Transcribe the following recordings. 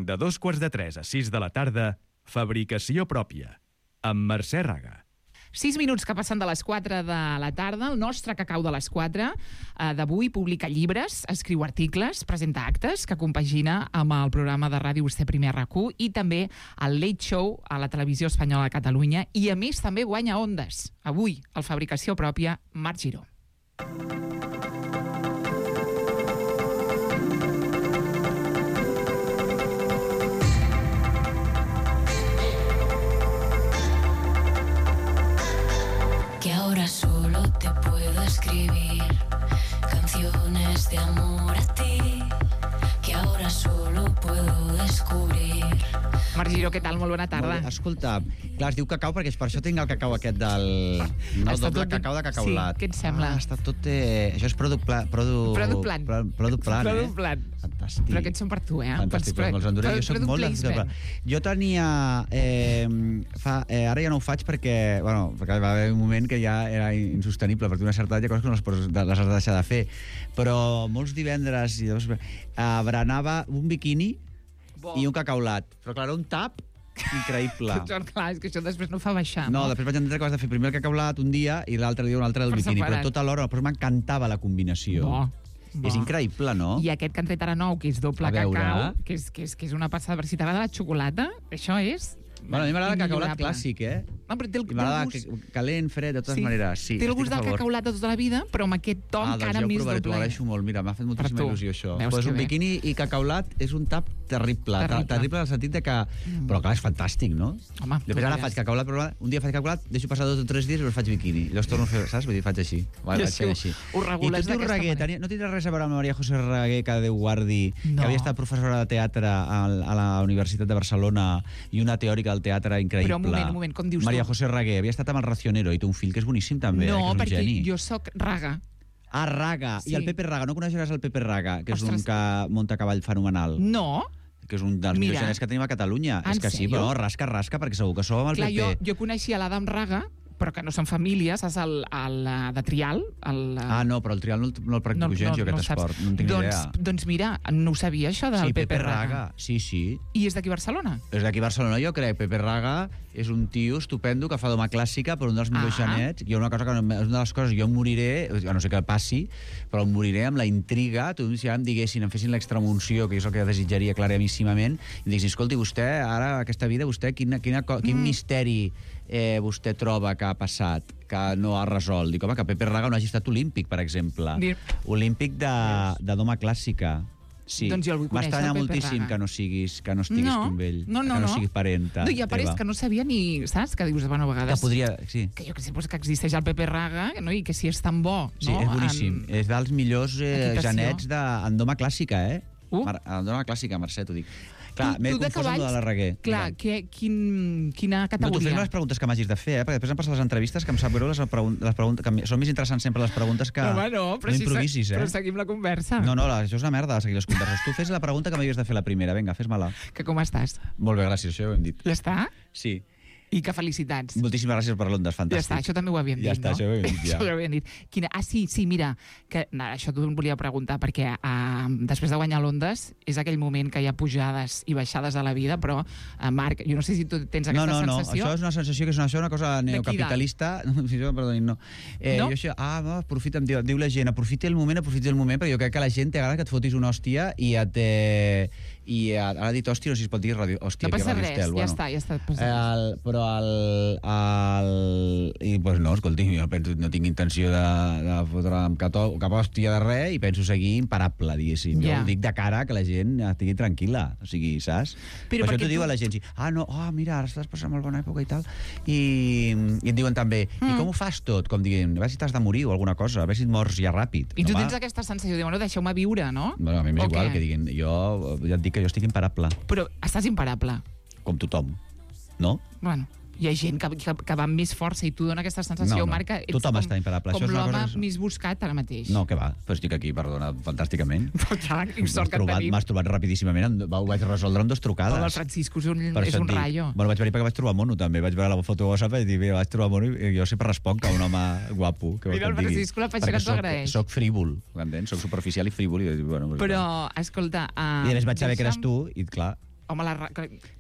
De 2:45 a 6 de la tarda, Fabricació pròpia, amb Mercè Raga. 6 minuts que passen de les 4 de la tarda. El nostre cacau de les 4 d'avui publica llibres, escriu articles, presenta actes que compagina amb el programa de ràdio Vostè Primer RAC1 i també el Late Show a la televisió espanyola de Catalunya, i a més també guanya Ondes. Avui, el Fabricació pròpia, Marc Giró. Que ahora solo te puedo escribir canciones de amor a ti, que ahora solo puedo descubrir. Marc Giró, què tal? Molt bona tarda. Escolta, clar, es diu cacau perquè és per això tinc el cacau aquest del... No, el doble cacau de cacaulat. Sí, què et sembla? Està tot... Això és product plant. Fantàstic. Però aquests són per tu, Fantàstic, però els enduré. Jo soc molt... Jo tenia... Ara ja no ho faig perquè va haver un moment que ja era insostenible, perquè una certa edat hi ha coses que no les has de deixar de fer. Però molts divendres berenava un biquini i un cacaulat. Però clar, un tap increïble. Clar, és que això després no fa baixar. No, després vaig entendre que vas de fer primer el cacaulat un dia i l'altre dia un altre del biquini, però tot alhora, però m'encantava la combinació. És increïble, no? I aquest que han tret ara nou, que és doble cacau, que és una passada. Per si t'agrada la xocolata, això és... Bueno, a mi m'agrada el cacaulat clàssic, No, però té el m'agrada gust... calent, fred, de totes maneres. Sí, té el gust del cacaulat de tota la vida, però amb aquest to encara més doble. T'ho agraeixo molt, mira, m'ha fet moltíssima il·lusió això. Pues un biquini i cacaulat és un tap terrible. Terrible en el sentit de que... Però clar, és fantàstic, no? Home, després ara faig cacaulat, però un dia faig cacaulat, deixo passar 2 o 3 dies i llavors faig biquini. I llavors torno a fer, saps? Vull dir, faig així. Ho regules d'aquesta manera. No tindrà res a veure amb la Maria José Raguer, que Déu guardi, que havia estat professora de teatre a la Universitat de Barcelona i una teòrica del teatre increïble. Però un moment, com dius tu? Maria José Raguer havia estat amb el Racionero i té un fill que és boníssim també, no, que és un perquè geni. jo soc Raga. Ah, Raga. Sí. I el Pepe Raga. No coneixeràs el Pepe Raga, que és un que munta a cavall fenomenal. No. Que és un dels millors genets que tenim a Catalunya. És que sí, però rasca, perquè segur que sou amb el Pepe. Jo coneixia l'Adam Raga, però que no són famílies, saps, el de Trial. No, però el Trial no el practico gens, jo, aquest esport. No en tinc idea. Doncs mira, no ho sabia, això del Pepe Raga. Sí. I és d'aquí Barcelona? És d'aquí Barcelona, jo crec. Pepe Raga és un tio estupendo que fa doma clàssica, però un dels millors genets. I una cosa que és una de les coses, jo moriré, no sé què passi, però moriré amb la intriga. Si ara em diguessin, em fessin l'extremunció, que és el que desitjaria claríssimament, i em diguessin, escolti, vostè, ara, aquesta vida, vostè, quin misteri vostè troba que ha passat, que no ha resolt? Dic, home, que Pepe Raga no hagi estat olímpic, per exemple. Olímpic de doma clàssica. Sí, doncs jo el vull conèixer, m'estranya moltíssim que no estiguis tu amb ell, que no siguis parenta. No, i a part és que no sabia ni, saps, que dius, bueno, a vegades... Que podria, sí. Que jo que sé, que existeix el Pepe Raga, no? I que si és tan bo, sí, no? És boníssim. És dels millors genets en doma clàssica, en doma clàssica, Mercè, t'ho dic. Clar, m'he confós amb la Raguer. Clar, quina categoria? No, tu fes les preguntes que m'hagis de fer, perquè després em passen les entrevistes, que em sap greu les preguntes, que són més interessants sempre les preguntes que no improvisis, Però seguim la conversa. No, això és una merda, seguir les converses. Tu fes la pregunta que m'havies de fer la primera, vinga, fes-me-la. Que com estàs? Molt bé, gràcies, això ho hem dit. Ja està? Sí. I que felicitats. Moltíssimes gràcies per l'Ondes, fantàstic. Ja està, això també ho havíem dit, no? Ja està, això ho havíem dit, ja. Això ho havíem dit. Sí, mira, que això t'ho volia preguntar, perquè després de guanyar l'Ondes és aquell moment que hi ha pujades i baixades a la vida, però, Marc, jo no sé si tu tens aquesta sensació. No, això és una sensació que és una cosa neocapitalista. Perdonin, no. Jo això, aprofita, diu la gent, aprofiti el moment, perquè jo crec que la gent t'agrada que et fotis una hòstia i ara ha dit hòstia, no sé si es pot dir hòstia. No passa res, ja està. Però pues no, escolti, jo no tinc intenció de fotre'm cap hòstia de res i penso seguir imparable, diguéssim. Jo ho dic de cara que la gent estigui tranquil·la, o sigui, saps? Per això t'ho diu a la gent, mira, ara estàs passant molt bona època i tal, i et diuen també, i com ho fas tot? Com diguem, a veure si t'has de morir o alguna cosa, a veure si et mors ja ràpid. I tu tens aquesta sensació de, bueno, deixeu-me viure, no? Bueno, a mi m'és igual que diguin, jo ja et dic que jo estic imparable. Però estàs imparable. Com tothom, no? Bueno, hi ha gent que va amb més força i tu dona aquesta sensació, Marc, que ets tothom està imparable. Com l'home més buscat ara mateix. No, que va, però estic aquí, perdona, fantàsticament. Sort que et tenim. M'has trobat rapidíssimament, ho vaig resoldre en 2 trucades. El Francisco és un rayo. Bueno, vaig venir perquè vaig trobar mono, també. Vaig veure la foto de WhatsApp i dir, mira, vaig trobar mono i jo sempre responc a un home guapo. Mira, el Francisco la peixera t'ho agraeix. Soc frívol, m'entens? Soc superficial i frívol. Però, escolta... I després vaig saber que eres tu i, clar... Home,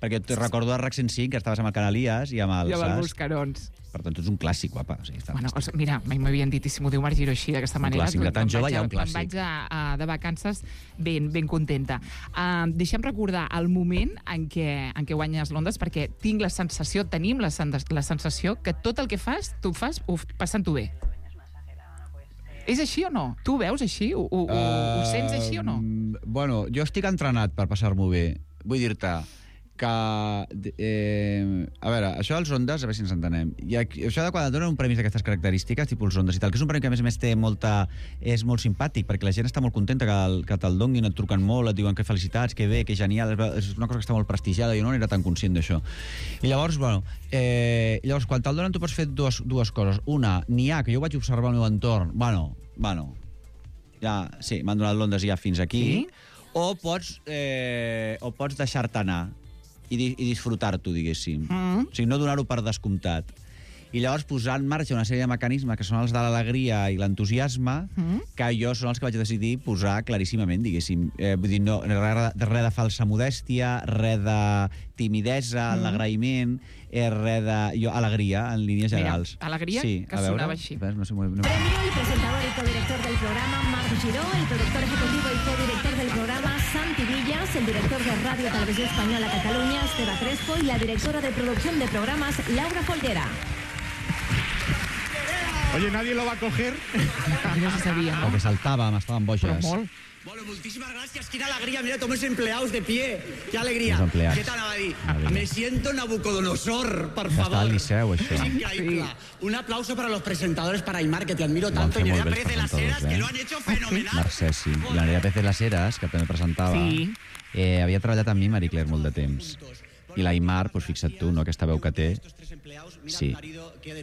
Perquè et recordo a RAC 105, que estaves amb el Canalies i amb el... I amb els Buscarons. Per tant, tu ets un clàssic, guapa. O sigui, Bueno, mira, mai m'havien dit, i si m'ho diu Marc Giró així, d'aquesta manera... clàssic, de tan jove hi ha un clàssic. Me'n vaig de vacances ben contenta. Deixem recordar el moment en què guanyes l'Ondes, perquè tenim la sensació que tot el que fas, tu fas passant-ho bé. És així o no? Tu ho veus així? Ho sents així o no? Bueno, jo estic entrenat per passar-m'ho bé. Vull dir-te que... a veure, això dels Ondes, a veure si ens entenem. Això de quan et donen un premi d'aquestes característiques, tipus els Ondes i tal, que és un premi que a més té és molt simpàtic, perquè la gent està molt contenta que te'l donguin, et truquen molt, et diuen que felicitats, que bé, que genial, és una cosa que està molt prestigiada, jo no era tan conscient d'això. I llavors, bueno, quan te'l donen tu pots fer dues coses. Una, n'hi ha, que jo vaig observar el meu entorn, bueno, ja, sí, m'han donat l'Ondes ja fins aquí, sí? o pots deixar-te anar i disfrutar-t'ho, diguéssim. O sigui, no donar-ho per descomptat. I llavors posar en marxa una sèrie de mecanismes que són els de l'alegria i l'entusiasme, que jo són els que vaig decidir posar claríssimament, diguéssim. Vull dir, no, res de falsa modèstia, res de timidesa, l'agraïment, res de... alegria, en línies generals. Mira, alegria, sí, que sonava així. No sé, Premio el presentador y codirector del programa, Marc Giró, el productor ejecutivo y codirector del programa, Santi Villas, el director de Radio Televisión Española Cataluña, Esteba Crespo, y la directora de producción de programas, Laura Folguera. Oye, ¿nadie lo va a coger? No se sabia, no? Perquè saltàvem, estàvem boges. Però molt. Bueno, muchísimas gracias. Qué alegría. Mira, todos los empleados de pie. Qué alegría. Los empleados. ¿Qué tal, Abadí? Me siento Nabucodonosor, por Ja favor. està al Liceu, això. Es increíble. Un aplauso para los presentadores, para Aymar, que te admiro tanto, y fer Nerea molt bé els Pérez de las Heras, presentadors, que lo han hecho fenomenal. Mercè, sí. I la Nerea Pérez de les Heras, que també presentava, Sí. havia treballat amb mi, Marie Claire, molt de temps. I l'Aimar, doncs fixa't tu, no? Aquesta veu que té. Sí.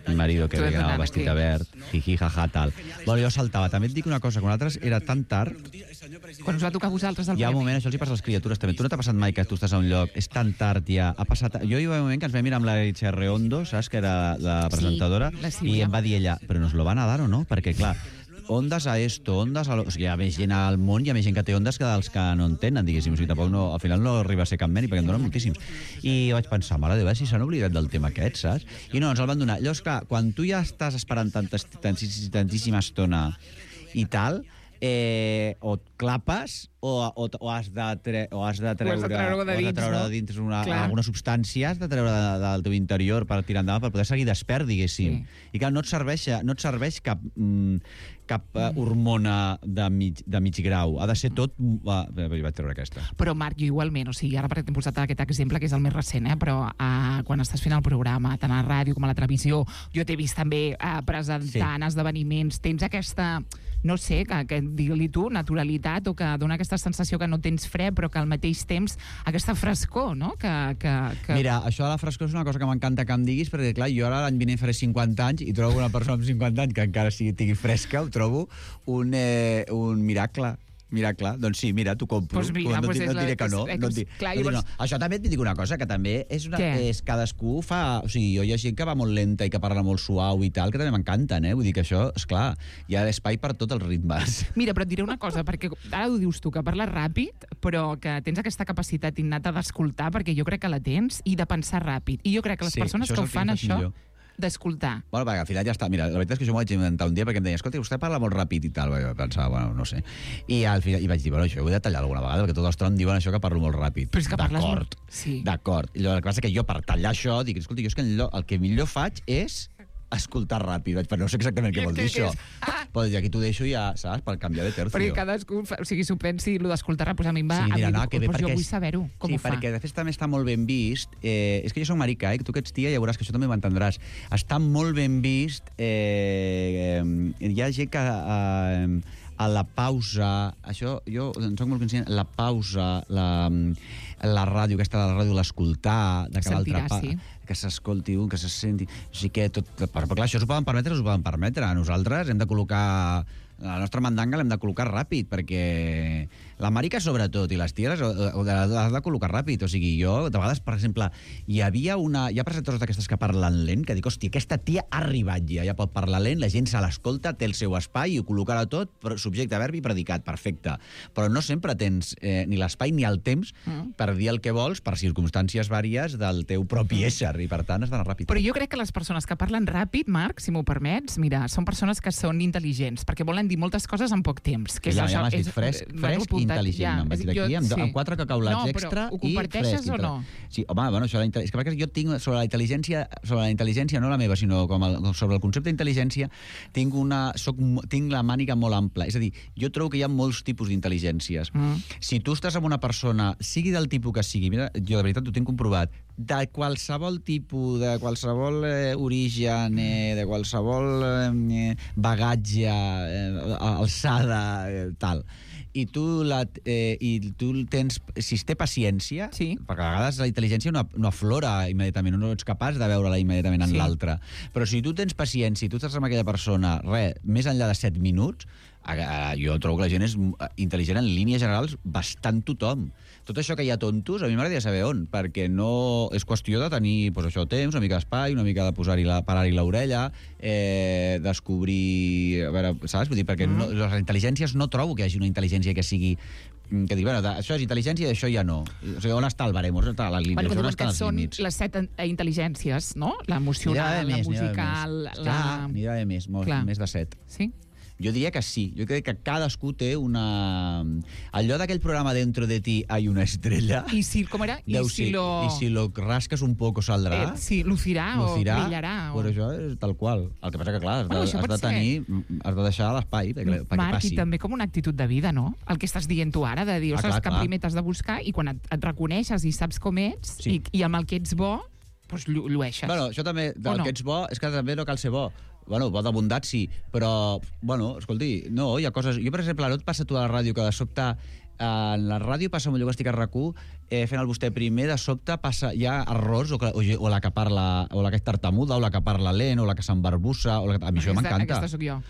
El marido que anava vestit de verd, jiji, jaja, tal. Bueno, jo saltava. També et dic una cosa, quan nosaltres era tan tard, Quan us va tocar a vosaltres el hi ha un premi. moment, això els hi passa a les criatures també. Tu no t'ha passat mai que tu estàs a un lloc, és tan tard ja, ha passat... Jo hi va un moment que ens vam mirar amb la Itziar Reondo, saps, que era la presentadora, la Sílvia. i em va dir ella, però nos lo van a dar o no? Perquè, clar, ondes a esto, ondes a... O sigui, hi ha més gent al món, hi ha més gent que té ondes que dels que no en tenen, diguéssim. O sigui, tampoc no, al final no arriba a ser cap mèrit, perquè en donen moltíssims. I vaig pensar, mare de Déu, si s'han oblidat del tema aquest, saps? I no, ens el van donar. Llavors, clar, quan tu ja estàs esperant tantíssima estona i tal, o et clapes o has de treure de dins alguna substància, has de treure del teu interior per tirar endavant, per poder seguir despert, diguéssim. I clar, no et serveix cap hormona de mig grau. Ha de ser tot... Vaig treure aquesta. Però, Marc, jo igualment, o sigui, ara perquè t'he posat aquest exemple, que és el més recent, però quan estàs fent el programa, tant a la ràdio com a la televisió, jo t'he vist també presentant esdeveniments, tens aquesta, no sé, que digue-li tu, naturalitat, o que dona aquesta sensació que no tens fred, però que al mateix temps aquesta frescor, no? Mira, això de la frescor és una cosa que m'encanta que em diguis, perquè, clar, jo ara l'any vinent faré 50 anys i trobo una persona amb 50 anys que encara sigui fresca, ho trobo un miracle. Doncs sí, mira, t'ho compro. Pues mira, no et diré que no. Això també et dic una cosa, que també és cadascú fa... O sigui, jo hi ha gent que va molt lenta i que parla molt suau i tal, que també m'encanten, Vull dir que això, esclar, hi ha espai per tots els ritmes. Mira, però et diré una cosa, perquè ara ho dius tu, que parles ràpid, però que tens aquesta capacitat innata d'escoltar, perquè jo crec que la tens, i de pensar ràpid. I jo crec que les persones que ho fan això... d'escoltar. Bueno, perquè al final ja està. Mira, la veritat és que jo m'ho vaig inventar un dia perquè em deia, escolta, vostè parla molt ràpid i tal. Vaig pensar, bueno, no sé. I al final vaig dir, bueno, això ho he de tallar alguna vegada, perquè tots els trons diuen això que parlo molt ràpid. Però és que parles molt... Sí. D'acord. I el que passa és que jo, per tallar això, dic, escolta, jo és que el que millor faig és escoltar ràpid, però no sé exactament què vol dir això. Però aquí t'ho deixo ja, saps, per canviar de tercio. Perquè cadascú, o sigui, s'ho pensi, el d'escoltar ràpid, a mi em va... Sí, mira, jo vull saber-ho, com ho fa. Sí, perquè de fet també està molt ben vist. És que jo soc marica, tu que ets tia ja veuràs que això també m'entendràs. Està molt ben vist. Hi ha gent que a la pausa, això jo en soc molt conscient, la pausa, la ràdio, aquesta de la ràdio, l'escoltar, de que l'altra part, que s'escolti un, que se senti... O sigui que tot... Però clar, això s'ho poden permetre. Nosaltres hem de col·locar... La nostra mandanga l'hem de col·locar ràpid, perquè La marica sobretot, i les ties has de col·locar ràpid. O sigui, jo, de vegades, per exemple, hi ha presentadors d'aquestes que parlen lent, que dic, hòstia, aquesta tia ha arribat ja pot parlar lent, la gent se l'escolta, té el seu espai i ho col·locarà tot, subjecte, verb i predicat, perfecte. Però no sempre tens ni l'espai ni el temps per dir el que vols per circumstàncies vàries del teu propi ésser, i per tant has d'anar ràpid. Però jo crec que les persones que parlen ràpid, Marc, si m'ho permets, mira, són persones que són intel·ligents, perquè volen dir moltes coses en poc temps. Que ja m'has dit fresc i intel·ligent. Em vaig dir aquí amb 4 cacaulats extra i fresc. Ho comparteixes o no? Sí, home, bueno, és que jo tinc sobre la intel·ligència, no la meva, sinó sobre el concepte d'intel·ligència, tinc la màniga molt ampla. És a dir, jo trobo que hi ha molts tipus d'intel·ligències. Si tu estàs amb una persona, sigui del tipus que sigui, mira, jo de veritat ho tinc comprovat, de qualsevol tipus, de qualsevol origen, de qualsevol bagatge, alçada, tal, i tu tens, si es té paciència, perquè a vegades la intel·ligència no aflora immediatament, no ets capaç de veure-la immediatament en l'altre, però si tu tens paciència i tu estàs amb aquella persona, més enllà de 7 minuts, jo trobo que la gent és intel·ligent en línies generals, bastant tothom. Tot això que hi ha tontos, a mi m'agradaria saber on, perquè no és qüestió de tenir temps, una mica d'espai, una mica de parar-hi l'orella, descobrir... A veure, saps? Vull dir, perquè les intel·ligències no trobo que hi hagi una intel·ligència que sigui... que dic, bueno, això és intel·ligència i això ja no. O sigui, on està el barem? On està les línies? On estan els límits? Són les 7 intel·ligències, no? L'emocional, la musical... N'hi ha més, més de 7. Sí? Jo diria que sí. Jo crec que cadascú té una... Allò d'aquell programa Dentro de ti hay una estrella... I si, com era? I si lo rasques un poco saldrà... Sí, lucirà o brillarà. Però això és tal qual. El que passa que, clar, has de deixar l'espai perquè passi. Marc, i també com una actitud de vida, no? El que estàs dient tu ara, de dir, ostres, que primer t'has de buscar i quan et reconeixes i saps com ets i amb el que ets bo, doncs llueixes. Bueno, això també, del que ets bo, és que també no cal ser bo. Bueno, bo de bondat sí, però, bueno, escolti, no, hi ha coses... Jo, per exemple, no et passa tu a la ràdio que de sobte... En la ràdio passa amb allò que estic a RAC1 fent el vostè primer, de sobte hi ha errors, o la que parla, o la que és tartamuda, o la que parla lent, o la que s'embarbussa, a mi això m'encanta. Aquesta sóc jo.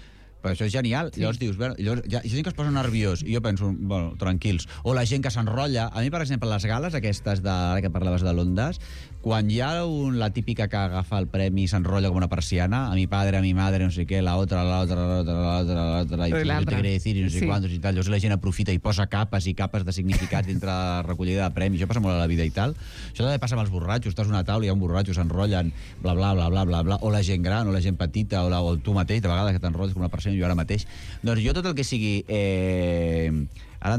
Però això és genial. Llavors dius, hi ha gent que es posa nerviós i jo penso, bueno, tranquils. O la gent que s'enrotlla. A mi, per exemple, les gales aquestes que parlaves de l'Ondas, quan hi ha la típica que agafa el premi i s'enrotlla com una persiana, a mi padre, a mi madre, no sé què, la otra, i no te quiere decir, i no sé quantos i tal. Llavors la gent aprofita i posa capes i capes de significats dintre la recollida de premis. Això passa molt a la vida i tal. Això també passa amb els borratxos. Estàs a una taula i hi ha un borratxo, s'enrotllen, bla, bla, bla, bla, bla, bla. O la gent gran, o la gent petita, o tu mateix, de vegades que t'enrotlles com una persiana, jo ara mateix. Doncs jo tot el que sigui... Ara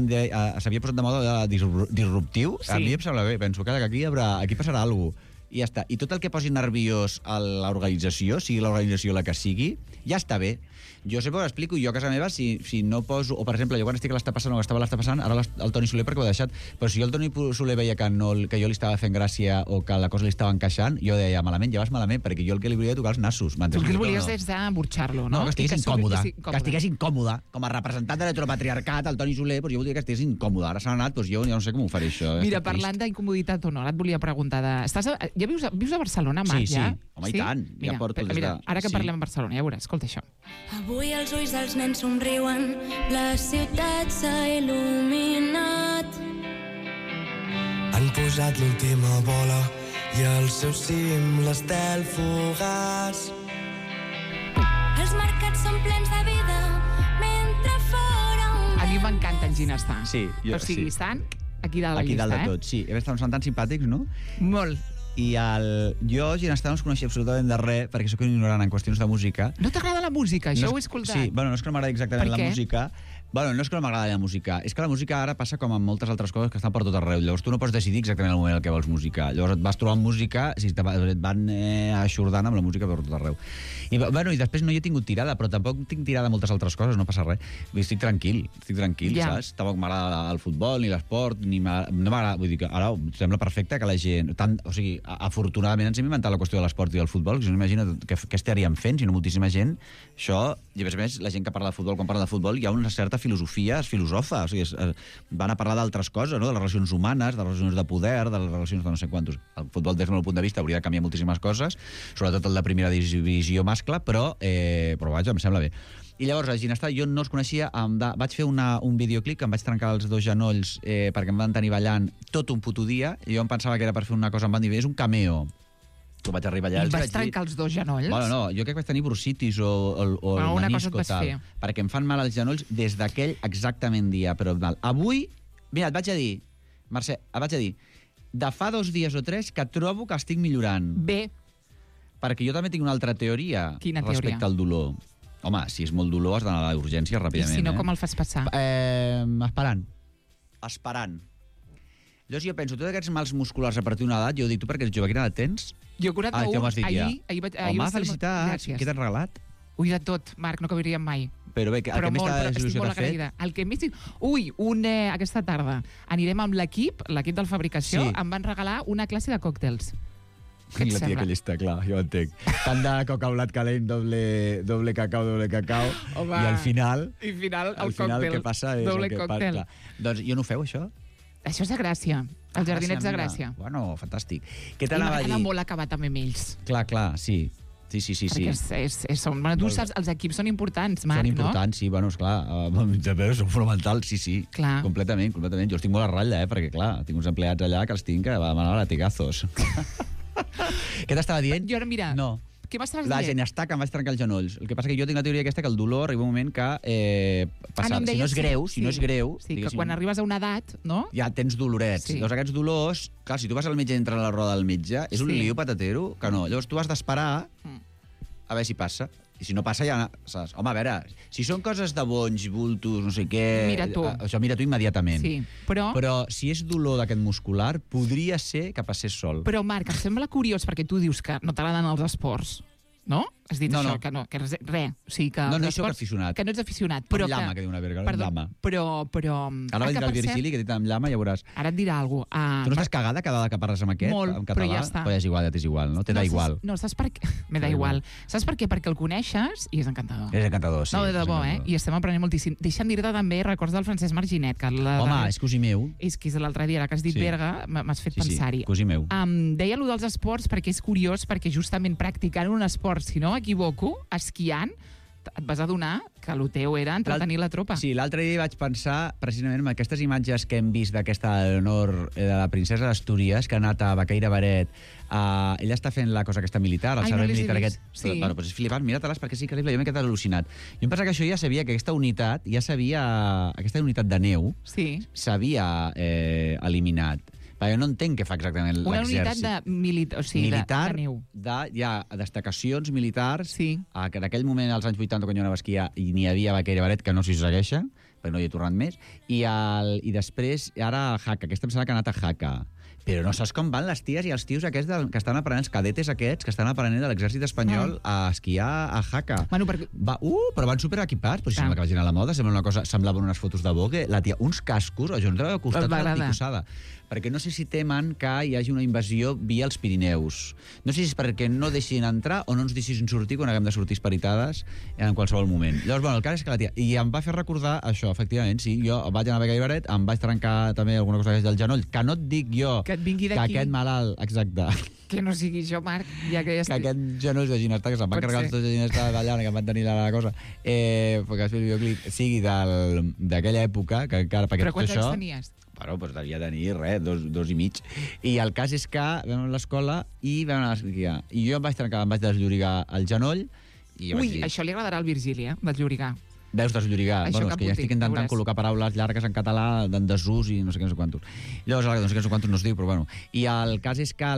s'havia posat de moda disruptiu, a mi em sembla bé, penso que aquí passarà alguna cosa. I ja està. I tot el que posi nerviós a l'organització, sigui l'organització la que sigui, ja està bé. Jo sempre ho explico, jo a casa meva, si no poso... O, per exemple, jo quan estic a l'està passant o estava a l'està passant, ara el Toni Soler perquè ho ha deixat, però si jo el Toni Soler veia que jo li estava fent gràcia o que la cosa li estava encaixant, jo deia, malament, ja vas malament, perquè jo el que li volia tocar els nassos. Tu el que volies és d'emborxar-lo, no? No, que estigués incòmode. Que estigués incòmode. Com a representant de l'heteropatriarcat, el Toni Soler, jo volia que estigués incòmode. Ara s'ha anat, jo ja no sé com ho faré, això. Mira, parlant d'incomoditat o no, ara et volia preguntar ja vius a Barcelona, Marc, ja? Sí, home, i tant. Ja porto des de... Ara que parlem a Barcelona, ja veuràs, escolta això. Avui els ulls dels nens somriuen, la ciutat s'ha il·luminat. Han posat l'última bola i al seu cim l'estel fugaç. Els mercats són plens de vida, mentre fora un... A mi m'encanta en Ginestar. Sí, o sigui, estan aquí dalt de la llista, aquí dalt de tot, sí. Són tan simpàtics, no? Molt. I jo, Ginestar, no els coneixia absolutament de res, perquè sóc un ignorant en qüestions de música. No t'agrada la música? Això ho he escoltat. Sí, bueno, no és que no m'agradi exactament la música. Bueno, no és que no m'agrada la música, és que la música ara passa com amb moltes altres coses que estan per tot arreu. Llavors tu no pots decidir exactament el moment en què vols música. Llavors et vas trobar música, et van aixordant amb la música per tot arreu. I després no hi he tingut tirada, però tampoc tinc tirada moltes altres coses, no passa res. Estic tranquil, saps? Tampoc m'agrada el futbol, ni l'esport, no m'agrada... Vull dir que ara sembla perfecte que la gent... O sigui, afortunadament ens hem inventat la qüestió de l'esport i del futbol, que si no imagina què estaríem fent, si no moltíssima gent. Això, i a més, la gent que parla de futbol, quan parla de futbol, hi ha una certa filosofia es filosofa, o sigui, van a parlar d'altres coses, no? De les relacions humanes, de les relacions de poder, de les relacions de no sé quantos. El futbol, des del meu punt de vista, hauria de canviar moltíssimes coses, sobretot el de primera divisió mascle, però vaja, em sembla bé. I llavors, a Ginestà, jo no els coneixia, vaig fer un videoclip que em vaig trencar els 2 genolls perquè em van tenir ballant tot un puto dia, i jo em pensava que era per fer una cosa, em van dir, és un cameo. Tu vaig arribar allà... I vas trencar els 2 genolls? Bueno, no, jo crec que vaig tenir bursitis o el menisco, tal, perquè em fan mal els genolls des d'aquell exactament dia, però mal. Avui, mira, et vaig a dir, Mercè, de fa 2 dies o 3 que trobo que estic millorant. Bé. Perquè jo també tinc una altra teoria. Quina teoria? Respecte al dolor. Home, si és molt dolor has d'anar a l'urgència ràpidament. I si no, com el fas passar? Esperant. Llavors jo penso, tots aquests mals musculars a partir d'una edat, jo dic, tu perquè ets jove, quina edat tens? Jo 41, ahir home, felicitats, què t'has regalat? Ui, de tot, Marc, no cabiríem mai. Però bé, el que més il·lusió t'ha fet? El que més... Ui, aquesta tarda anirem amb l'equip de la fabricació, em van regalar una classe de còctels. Què et sembla? La tia que llista, clar, jo entenc. Tant de coca-blat calent, doble cacau, home, i al final... I al còctel, què passa és doble còctel. Doncs jo no ho feu, això? Això és de Gràcia, els jardinets de Gràcia. Bueno, fantàstic. Què t'anava a dir? I m'ha molt acabat també amb ells. Clar, sí. Perquè tu saps, els equips són importants, Marc, no? Són importants, sí, bueno, esclar, són fonamentals, sí, clar. Completament. Jo els tinc molt a ratlla, perquè, clar, tinc uns empleats allà que els tinc que van a latigazos. Què t'estava dient? Jo ara, mira... No. Què m'estaves dient? La Ginestà, que em vaig trencar els genolls. El que passa que jo tinc la teoria aquesta que el dolor arriba un moment que si no és greu... Sí, que quan arribes a una edat, no? Ja tens dolorets. Sí. Llavors aquests dolors... Clar, si tu vas al metge i entres a la roda del metge, és un lío patatero que no. Llavors tu has d'esperar a veure si passa. I si no passa ja... Saps? Home, a veure, si són coses de bonys, bultos, no sé què... Mira tu. Això mira tu immediatament. Sí, però si és dolor d'aquest muscular, podria ser que passés sol. Però, Marc, em sembla curiós perquè tu dius que no t'agraden els esports, no? Has dit això, que no, que res. O sigui, que no soc aficionat. Que no ets aficionat. Però llama, que diu una verga, llama. Però... Ara va dir el Virgili, que dit amb llama, ja veuràs. Ara et dirà alguna cosa. Tu no estàs cagada cada vegada que parles amb aquest? Molt, en català? però ja està. Però ja és igual, no? Te da igual. No, saps per què? Me da igual. Saps per què? Perquè el coneixes i és encantador. És encantador, sí. No, de debò, I estem aprenent moltíssim. Deixa'm dir-te també, records del Francesc Marginet. Que home, és cosí meu. És que és l'altre dia, ara que has dit Berga, m'has fet pensar-hi. Sí, cosí meu. Deia allò dels esports perquè és curiós, perquè justament practicant un esport, si no m'equivoco, esquiant, et vas adonar que el teu era entretenir la tropa. Sí, l'altre dia vaig pensar precisament en aquestes imatges que hem vist d'aquesta Leonor, de la princesa d'Astúries, que ha anat a Baqueira Baret. Ella està fent la cosa aquesta militar, el servei militar aquest. Sí. Bueno, doncs és flipant, mira-te-les perquè és increïble, jo m'he quedat al·lucinat. Jo em pensa que això ja sabia, que aquesta unitat de neu s'havia eliminat. Jo no entenc què fa exactament l'exèrcit. Una unitat militar de neu. Hi ha destacacions militars, que en aquell moment, als anys 80, quan jo anava a esquiar, n'hi havia a Baqueira Baret, que no s'hi segueixa, perquè no hi he tornat més, i després, ara a Jaca, aquesta em sembla que ha anat a Jaca. Però no saps com van les ties i els tios aquests que estan aprenent, els cadetes aquests, que estan aprenent de l'exèrcit espanyol a esquiar a Jaca. Bueno, però van superequipats, però si sembla que vagin a la moda, semblaven unes fotos de Vogue, la tia, uns cascos, jo no trobava costat de la ticossada. Perquè no sé si temen que hi hagi una invasió via els Pirineus. No sé si és perquè no deixin entrar o no ens deixin sortir quan haguem de sortir esparitades en qualsevol moment. Llavors, bueno, el cas és que la tia... I em va fer recordar això, efectivament, sí, jo vaig anar a Baqueira Baret, em vaig trencar també alguna cosa del genoll, que no et dic jo que et vingui d'aquí. Que aquest malalt, exacte. Que no sigui això, Marc, ja que ja que aquest genoll de Ginestà, que se'n van carregar els dos de Ginestà d'allà, que van tenir la cosa, perquè el videoclip sigui d'aquella època, que encara... Però quants anys tenies? Bueno, doncs devia tenir, dos i mig. I el cas és que vam a l'escola i vam anar a esquiar. I jo em vaig trencar, em vaig desllorigar el genoll. Això li agradarà al Virgili, desllorigar. Veus desllorigar? Bueno, és que ja estic intentant col·locar paraules llargues en català, d'en desús i no sé què, no sé quantos. Llavors, no sé què, no sé quantos no es diu, però bueno. I el cas és que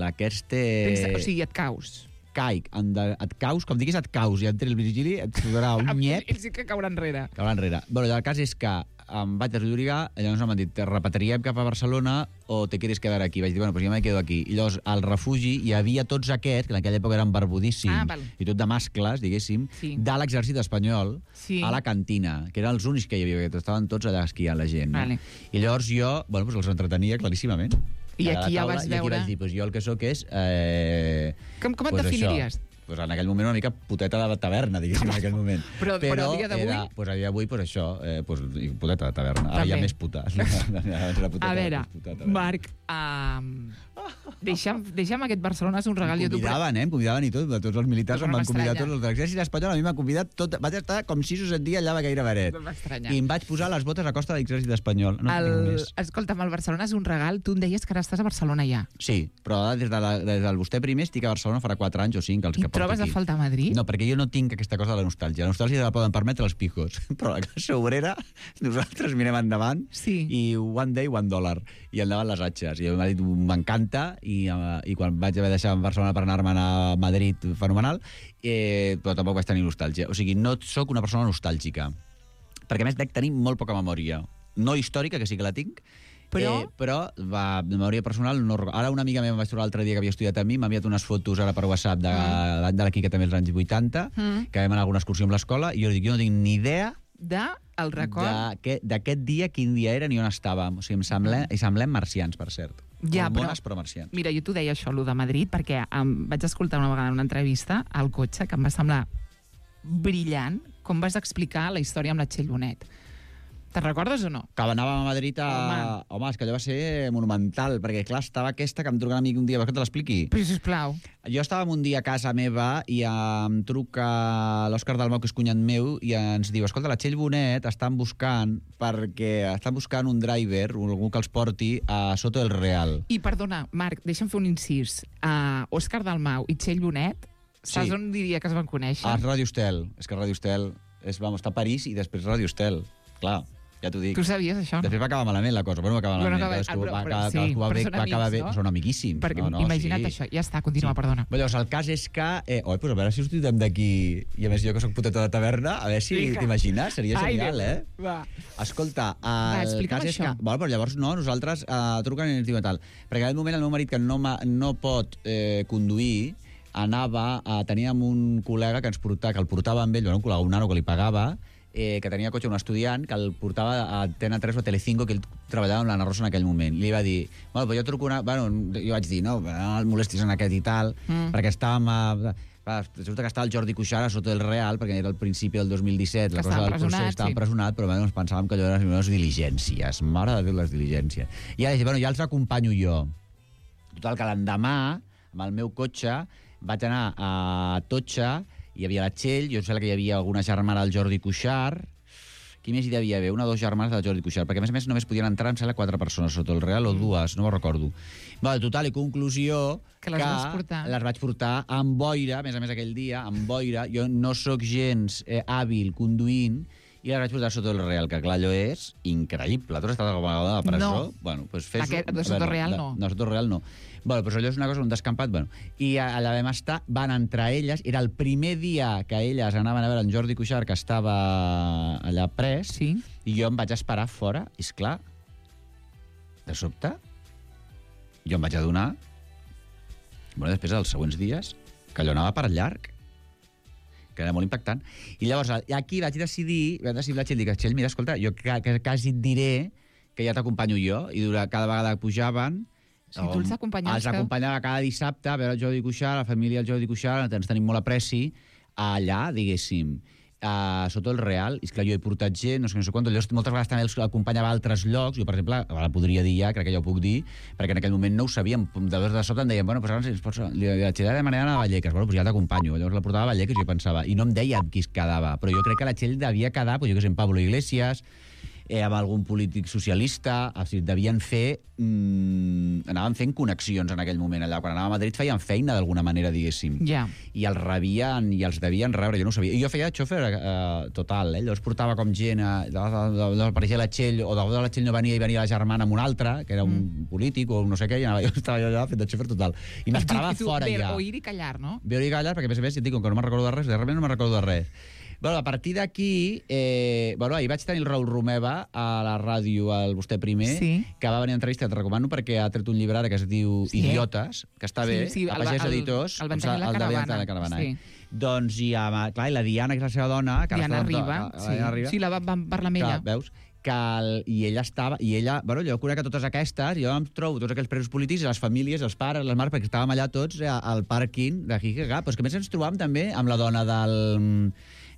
aquest... O sigui, et caus. Caic, et caus, com diguis et caus, i entre el Virgili et fotrà un nyet. Ell sí que caurà enrere. Caurà enrere. Bueno, el cas és que em vaig desllorigar, llavors m'han dit, te repatriem cap a Barcelona o te quieres quedar aquí? Vaig dir, bueno, pues jo me quedo aquí. I llavors, al refugi hi havia tots aquests, que en aquella època eren barbudíssims, i tot de mascles, diguéssim, de l'exèrcit espanyol, a la cantina, que eren els únics que hi havia, que estaven tots allà esquiant la gent. No? I llavors jo, bueno, pues els entretenia claríssimament. I aquí ja vas veure... I aquí vaig dir, pues jo el que sóc és... Com et definiries? pues en aquell moment una mica puteta de taverna, diguéssim, en aquell moment. Però a dia d'avui? Pues a dia d'avui, pues això, pues, puteta de taverna. Ara També. hi ha més puta. A veure, Marc, deixa'm aquest Barcelona és un regal. Em convidaven i tot, tots els militars Però em no van convidar, m'estranya. tots els de l'exèrcit espanyol, a mi m'han convidat tot, vaig estar com 6 o 7 dies allà a Gaire Beret. No m'estranya. I em vaig posar les botes a costa de l'exèrcit espanyol. No tinc més. Escolta'm, el Barcelona és un regal. Tu em deies que ara estàs a Barcelona ja. Sí, però des del vostè primer estic a Barcelona farà 4 anys o 5 els I que porto trobes a aquí. faltar Madrid? No, perquè jo no tinc aquesta cosa de la nostàlgia. La nostàlgia la poden permetre els pijos, però la classe obrera, nosaltres mirem endavant Sí. i one day, $1. I endavant les atxes. I m'ha dit, m'encanta, i quan vaig haver de deixar Barcelona per anar-me'n a Madrid, fenomenal, però tampoc vaig tenir nostàlgia. O sigui, no sóc una persona nostàlgica, perquè a més dec tenir molt poca memòria. No històrica, que sí que la tinc, però de memòria personal no. Ara una amiga meva em vaig trobar l'altre dia que havia estudiat amb mi, m'ha enviat unes fotos ara per WhatsApp de l'any de la Quica, també els anys 80, que vam anar a alguna excursió amb l'escola, i jo li dic, jo no tinc ni idea El record? d'aquest dia, quin dia era ni on estàvem. O sigui, semblem marcians, per cert. Ja, Hormones, però marcians. Mira, jo t'ho deia això, allò de Madrid, perquè vaig escoltar una vegada una entrevista al cotxe que em va semblar brillant com vas explicar la història amb la Txell Bonet. Te'n recordes o no? Que anàvem a Madrid a... Home, és que allò va ser monumental, perquè, clar, estava aquesta que em truca un amic un dia, vols que te l'expliqui? Però, sisplau. Jo estàvem un dia a casa meva i em truca l'Òscar Dalmau, que és cunyat meu, i ens diu, escolta, la Txell Bonet estan buscant un driver, algú que els porti a Soto del Real. I, perdona, Marc, deixa'm fer un incís. Òscar Dalmau i Txell Bonet, saps on diria que es van conèixer? A Ràdio Estel. És que Ràdio Estel està a París i després Ràdio Estel. Clar, ja t'ho dic. Tu sabies això, no? Després va acabar malament la cosa. Bueno, va acabar malament. Cadascú va amiguíssim. Imagina't això. Ja està, continua, perdona. Llavors, el cas és que... Pues a veure si sortim d'aquí... I a més, jo que soc puteta de taverna, a veure si t'imagines. Seria genial, Va. Escolta, explica'm cas és això. que... Bueno, però llavors no, nosaltres truquen i ens diuen tal. Perquè en aquell moment el meu marit, que no pot conduir, teníem un col·lega que el portava amb ell, un col·lega, un nano que li pagava, que tenia cotxe, un estudiant, que el portava a Antena 3 o a Telecinco, que ell treballava amb l'Anna Rosa en aquell moment. Li va dir, bueno, però jo truco jo vaig dir, no el molestis en aquest i tal, perquè estàvem resulta que estava el Jordi Cuixart a Soto del Real, perquè era al principi del 2017, la cosa del procés, estava empresonat, però ens pensàvem que allò eren les diligències, mare de Déu, les diligències. I ara ja els acompanyo jo. Total, que l'endemà, amb el meu cotxe, vaig anar a Totxa, hi havia la Txell, jo sé que hi havia alguna germana del Jordi Cuixart. Qui més hi devia haver? Una o dues germanes del Jordi Cuixart, perquè a més només podien entrar, em sembla, 4 persones sota el Real, o 2, no ho recordo. Total i conclusió que les vaig portar amb boira, a més aquell dia, amb boira. Jo no sóc gens hàbil conduint, i les vaig portar sota el Real, que clar, allò és increïble. Tu has estat alguna vegada a la presó? No. Bueno, pues fes-ho. De Soto Real no. No, Soto Real no. Bueno, però allò és una cosa, un descampat. Bueno. I allà vam estar, van entrar elles, era el primer dia que elles anaven a veure en Jordi Cuixart, que estava allà pres, sí. I jo em vaig esperar fora, i esclar, de sobte, jo em vaig adonar, després dels següents dies, que allò anava per llarg, que era molt impactant. I llavors, aquí vaig decidir la Txell, dic, Txell, mira, escolta, jo quasi et diré que ja t'acompanyo jo, i cada vegada que pujaven, tu els acompanyaves? Els acompanyava cada dissabte a veure el Jordi Cuixart, la família del Jordi Cuixart, ens tenim molt apreci, allà, diguéssim, sota el Real, i esclar, jo he portat gent, no sé quant, moltes vegades també els acompanyava a altres llocs, jo, per exemple, ara podria dir ja, crec que ja ho puc dir, perquè en aquell moment no ho sabíem, de sobte em deien, bueno, doncs ara li vaig demanar a Vallecas, bueno, doncs ja t'acompanyo, llavors la portava a Vallecas i jo pensava, i no em deia amb qui es quedava, però jo crec que la Txell devia quedar, jo que sé, en Pablo Iglesias, amb algun polític socialista, o sigui, devien fer... anaven fent connexions en aquell moment allà. Quan anava a Madrid feien feina d'alguna manera, diguéssim. Ja. I els rebien, i els devien rebre, jo no ho sabia. I jo feia de xòfer total, llavors portava com gent, apareixia la Txell, o de la Txell no venia i venia la germana amb un altre, que era un polític o no sé què, i jo estava allà fent de xòfer total. I m'esperava fora ja. Oir i callar, no? Veure i callar, perquè a més, ja et dic, com que no me'n recordo de res, realment no me'n recordo de res. Bueno, a partir d'aquí, ahir vaig tenir el Raül Romeva a la ràdio, al Vostè Primer, que va venir a entrevista, te recomano, perquè ha tret un llibre ara que es diu Idiotes, que està bé, a Pagès Editors, el van tenir a la caravana. Doncs, clar, i la Diana, que és la seva dona... Diana Riba, sí, la vam parlar amb ella. Veus? i ella, bueno, jo conec a totes aquestes, jo em trobo tots aquells presos polítics, les famílies, els pares, les mares, perquè estàvem allà tots al pàrquing de Giga, però és que a més ens trobàvem també amb la dona del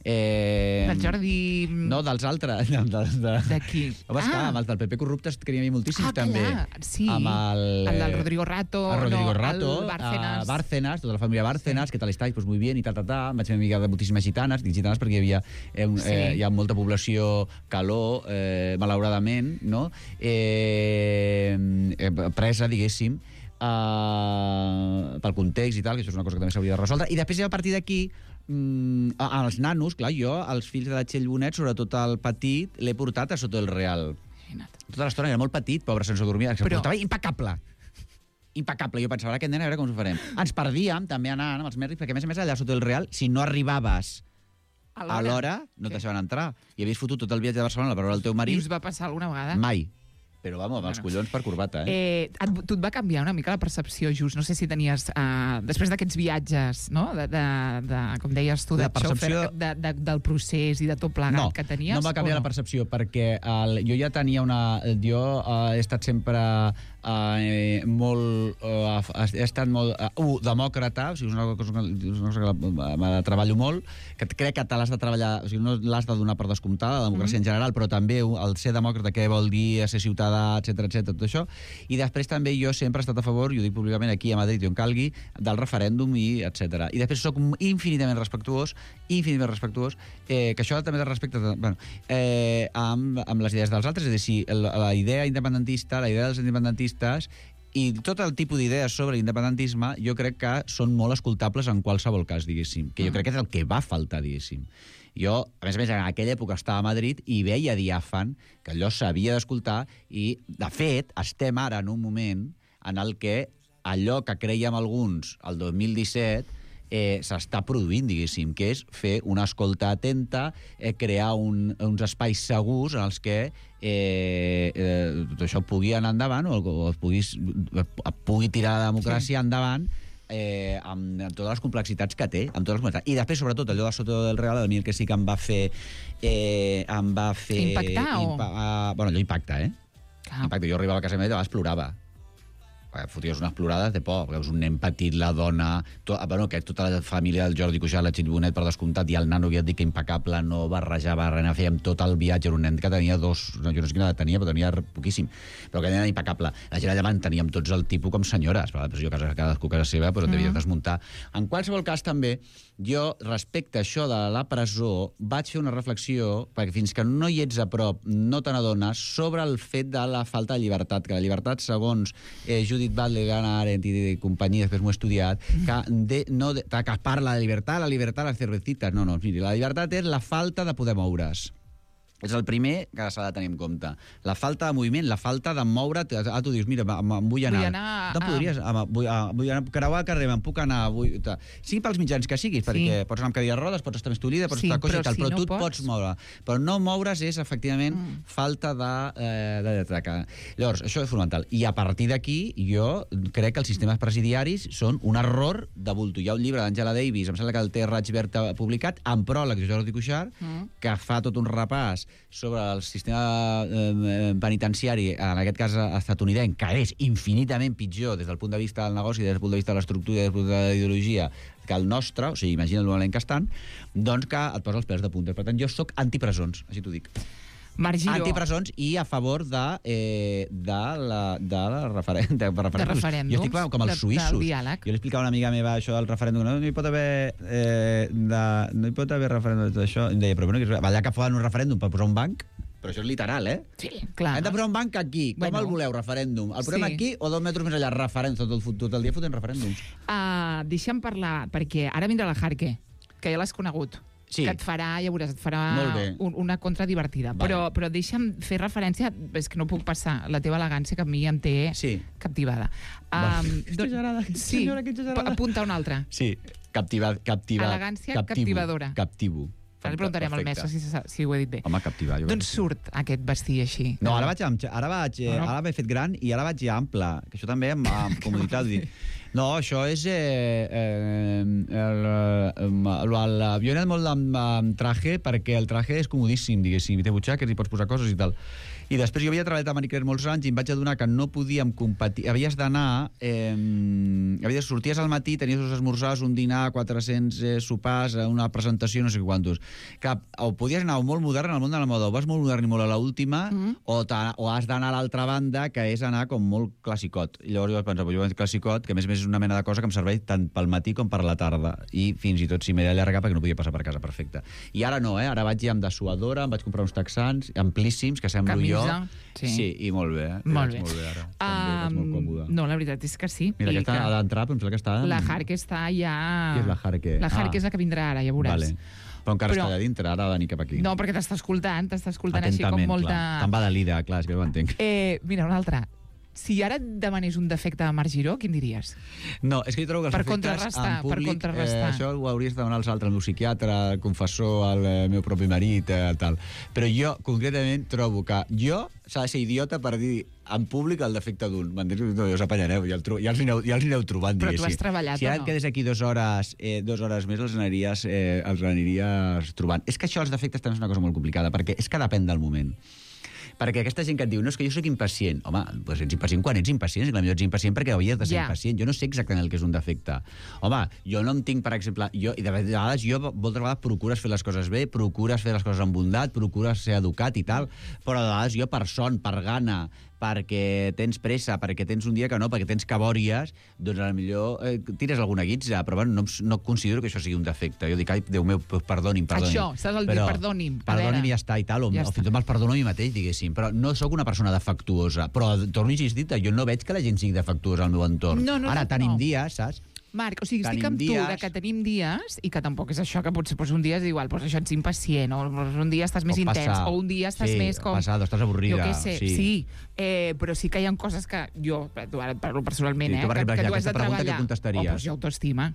Del Jordi... No, dels altres. D'aquí. Home, esclar, amb els del PP corruptes que n'hi havia moltíssims, també. Sí. Amb el del Rodrigo Rato. El Rodrigo Rato. El Bárcenas. Bárcenas, tota la família Bárcenas, que tal estáis, pues muy bien, i tal. Vaig fer amiga de moltíssimes gitanes, dic gitanes perquè hi havia hi ha molta població calor, malauradament, no? Presa, diguéssim, pel context i tal, que això és una cosa que també s'hauria de resoldre. I després, a partir d'aquí, els nanos, clar, jo, els fills de la Txell Bonet, sobretot el petit, l'he portat a Soto del Real. Tota l'estona era molt petit, pobre, sense dormir, que portava impecable. Impecable. Jo pensava, aquest nen, a veure com ho farem. Ens perdíem, també anant amb els mèrits, perquè a més allà a Soto del Real, si no arribaves a l'hora, no et deixaven entrar. I havies fotut tot el viatge de Barcelona per veure el teu marit. I us va passar alguna vegada? Mai. Però, vamos, amb els collons per corbata, tu et va canviar una mica la percepció, Just? No sé si tenies, després d'aquests viatges, no? Com deies tu, de xòfer, del procés i de tot plegat que tenies? No em va canviar la percepció, perquè jo ja tenia Jo he estat sempre molt demòcrata, o sigui, és una cosa que me la treballo molt, que crec que te l'has de treballar, o sigui, no l'has de donar per descomptada, la democràcia en general, però també el ser demòcrata, què vol dir, ser ciutadà, etc, tot això. I després també jo sempre he estat a favor, i ho dic públicament aquí a Madrid i on calgui, del referèndum i etc. I després soc infinitament respectuós, que això també de respecte amb les idees dels altres, és a dir, si la idea independentista, la idea dels independentistes i tot el tipus d'idees sobre l'independentisme jo crec que són molt escoltables en qualsevol cas, diguéssim, que jo crec que és el que va faltar, diguéssim. Jo, a més, en aquella època estava a Madrid i veia diàfan que allò s'havia d'escoltar i, de fet, estem ara en un moment en el que allò que creiem alguns el 2017 s'està produint, diguéssim, que és fer una escolta atenta, crear uns espais segurs en els que tot això pugui anar endavant o pugui tirar la democràcia endavant amb totes les complexitats que té, amb totes les complexitats. I després, sobretot, allò de Soto del Real, a mi el que sí que em va fer impactar, bueno, allò impacta, impacta. Jo arribava a casa meva i de vegades plorava. Foties unes plorades de por, perquè és un nen petit, la dona... tota la família del Jordi Cuixart, la Txell Bonet, per descomptat, i el nano, que ja et dic que impecable, no barrejava res, fèiem tot el viatge, era un nen que tenia jo no sé quina edat tenia, però tenia poquíssim, però que era impecable. La gent allà teníem tots el tipus com senyores, però jo cadascú a casa seva, però et devies desmuntar. En qualsevol cas, també, jo, respecte a això de la presó, vaig fer una reflexió, perquè fins que no hi ets a prop, no te n'adones, sobre el fet de la falta de llibertat, que la llibertat, segons Judith Butler, Hannah Arendt i companyia, després m'ho he estudiat, que parla de llibertat, les cervecitas. No, miri, la llibertat és la falta de poder moure's. És el primer que s'ha de tenir en compte. La falta de moviment, la falta de moure't. Tu dius, mira, em vull anar. No podries, vull anar, creuar el carrer, me'n puc anar. Sigui pels mitjans que siguis, perquè pots anar amb cadira de rodes, pots estar més tolida, pots estar coixa i tal, però tu et pots moure. Però no moure's és, efectivament, falta de traca. Llavors, això és fonamental. I a partir d'aquí, jo crec que els sistemes presidiaris són un error de bulto. Hi ha un llibre d'Angela Davis, em sembla que el té Raig Verd publicat, amb pròleg de Jordi Cuixart, que fa tot un repàs sobre el sistema penitenciari, en aquest cas estatunidenc, que és infinitament pitjor des del punt de vista del negoci, des del punt de vista de l'estructura, des del punt de la ideologia, que el nostre, o sigui, imagina el moment que estan, doncs que et posa els pèls de punta. Per tant, jo sóc antipresons, així t'ho dic. Marc Giró. Antipresons i a favor de referèndums. Jo estic com els suïssos. Jo li explicava a una amiga meva això del referèndum. No hi pot haver referèndum d'això. Em deia, però bueno, allà que fan un referèndum per posar un banc, però això és literal, Sí, clar. Hem de posar un banc aquí. Com el voleu, referèndum? El posem aquí o 2 metres més allà? Referèndum, tot el dia fotent referèndums. Deixa'm parlar, perquè ara vindrà la Jarque, que ja l'has conegut. Sí. Que et farà, ja veuràs, una contra divertida. Vale. Però deixa'm fer referència, és que no puc passar, la teva elegància que a mi em té captivada. Sí, apunta una altra. Sí, elegància captivadora. Captivo. Ara li preguntarem al mestre si ho he dit bé. Home, captivar. D'on surt aquest vestir així? No, ara m'he fet gran i ara vaig ja ample, que això també amb comoditat. No, això és... Jo he anat molt amb traje perquè el traje és comodíssim, diguéssim, té butxaques i pots posar coses i tal. I després jo havia treballat a Marie Claire molts anys i em vaig adonar que no podíem competir. Havies d'anar... sorties al matí, tenies dos esmorzars, un dinar, 400 sopars, una presentació, no sé quantos. O podies anar molt modern al món de la moda, o vas molt modern i molt a l'última, o has d'anar a l'altra banda, que és anar com molt classicot. I llavors jo vaig pensar, jo vaig classicot, que a més és una mena de cosa que em serveix tant pel matí com per la tarda. I fins i tot si m'he d'allargar perquè no podia passar per casa perfecte. I ara no, ara vaig ja amb dessuadora, em vaig comprar uns texans amplíssims, que semblo jo. Sí, i molt bé. Molt bé. Molt bé ara. També, molt còmode. No, la veritat és que sí. Mira, aquesta ha d'entrar, però em sembla que està... La Harke està ja... Qui és la Harke? La Harke és la que vindrà ara, ja veuràs. Vale. Però encara està allà dintre, ara ha de venir cap aquí. No, perquè t'està escoltant així com molta... Clar. Te'n va de l'ida, clar, és que ho entenc. Mira, una altra. Si ara et demanés un defecte de Marc Giró, quin diries? No, és que jo trobo que els defectes en públic... Per contrarrestar. Això ho hauries de demanar als altres, al meu psiquiatre, al confessor, al meu propi marit, tal. Però jo, concretament, trobo que s'ha de ser idiota per dir en públic el defecte d'un. M'entens? No, ja us apanyareu, ja els aneu trobant, diguéssim. Però tu has treballat, si ara et quedes aquí 2 hores més, els aniries trobant. És que això, els defectes, també és una cosa molt complicada, perquè és que depèn del moment. Perquè aquesta gent que et diu, no, és que jo soc impacient. Home, doncs ets impacient quan ets impacient. Potser ets impacient perquè havies de ser impacient. Jo no sé exactament el que és un defecte. Home, jo no en tinc, per exemple... I de vegades moltes vegades procures fer les coses bé, procures fer les coses amb bondat, procures ser educat i tal, però de vegades jo per son, per gana, perquè tens pressa, perquè tens un dia que no, perquè tens cabòries, doncs potser tires alguna guitza, però bueno, no considero que això sigui un defecte. Jo dic, ai, Déu meu, perdoni'm. Això, saps el dir perdoni'm. Perdoni'm i ja està, i tal, o fins i tot me'ls perdono a mi mateix, diguéssim. Però no sóc una persona defectuosa. Però, torno a insistir, jo no veig que la gent sigui defectuosa al meu entorn. Ara, tenim dies, saps? Marc, o sigui, estic amb tu que tenim dies, i que tampoc és això, que potser un dia és igual, això ets impacient, o un dia estàs més intens, o un dia estàs més com... Passat, o estàs avorrida. Jo què sé, sí. Però sí que hi ha coses que jo, ara et parlo personalment, que tu has de treballar. Doncs jo autoestima.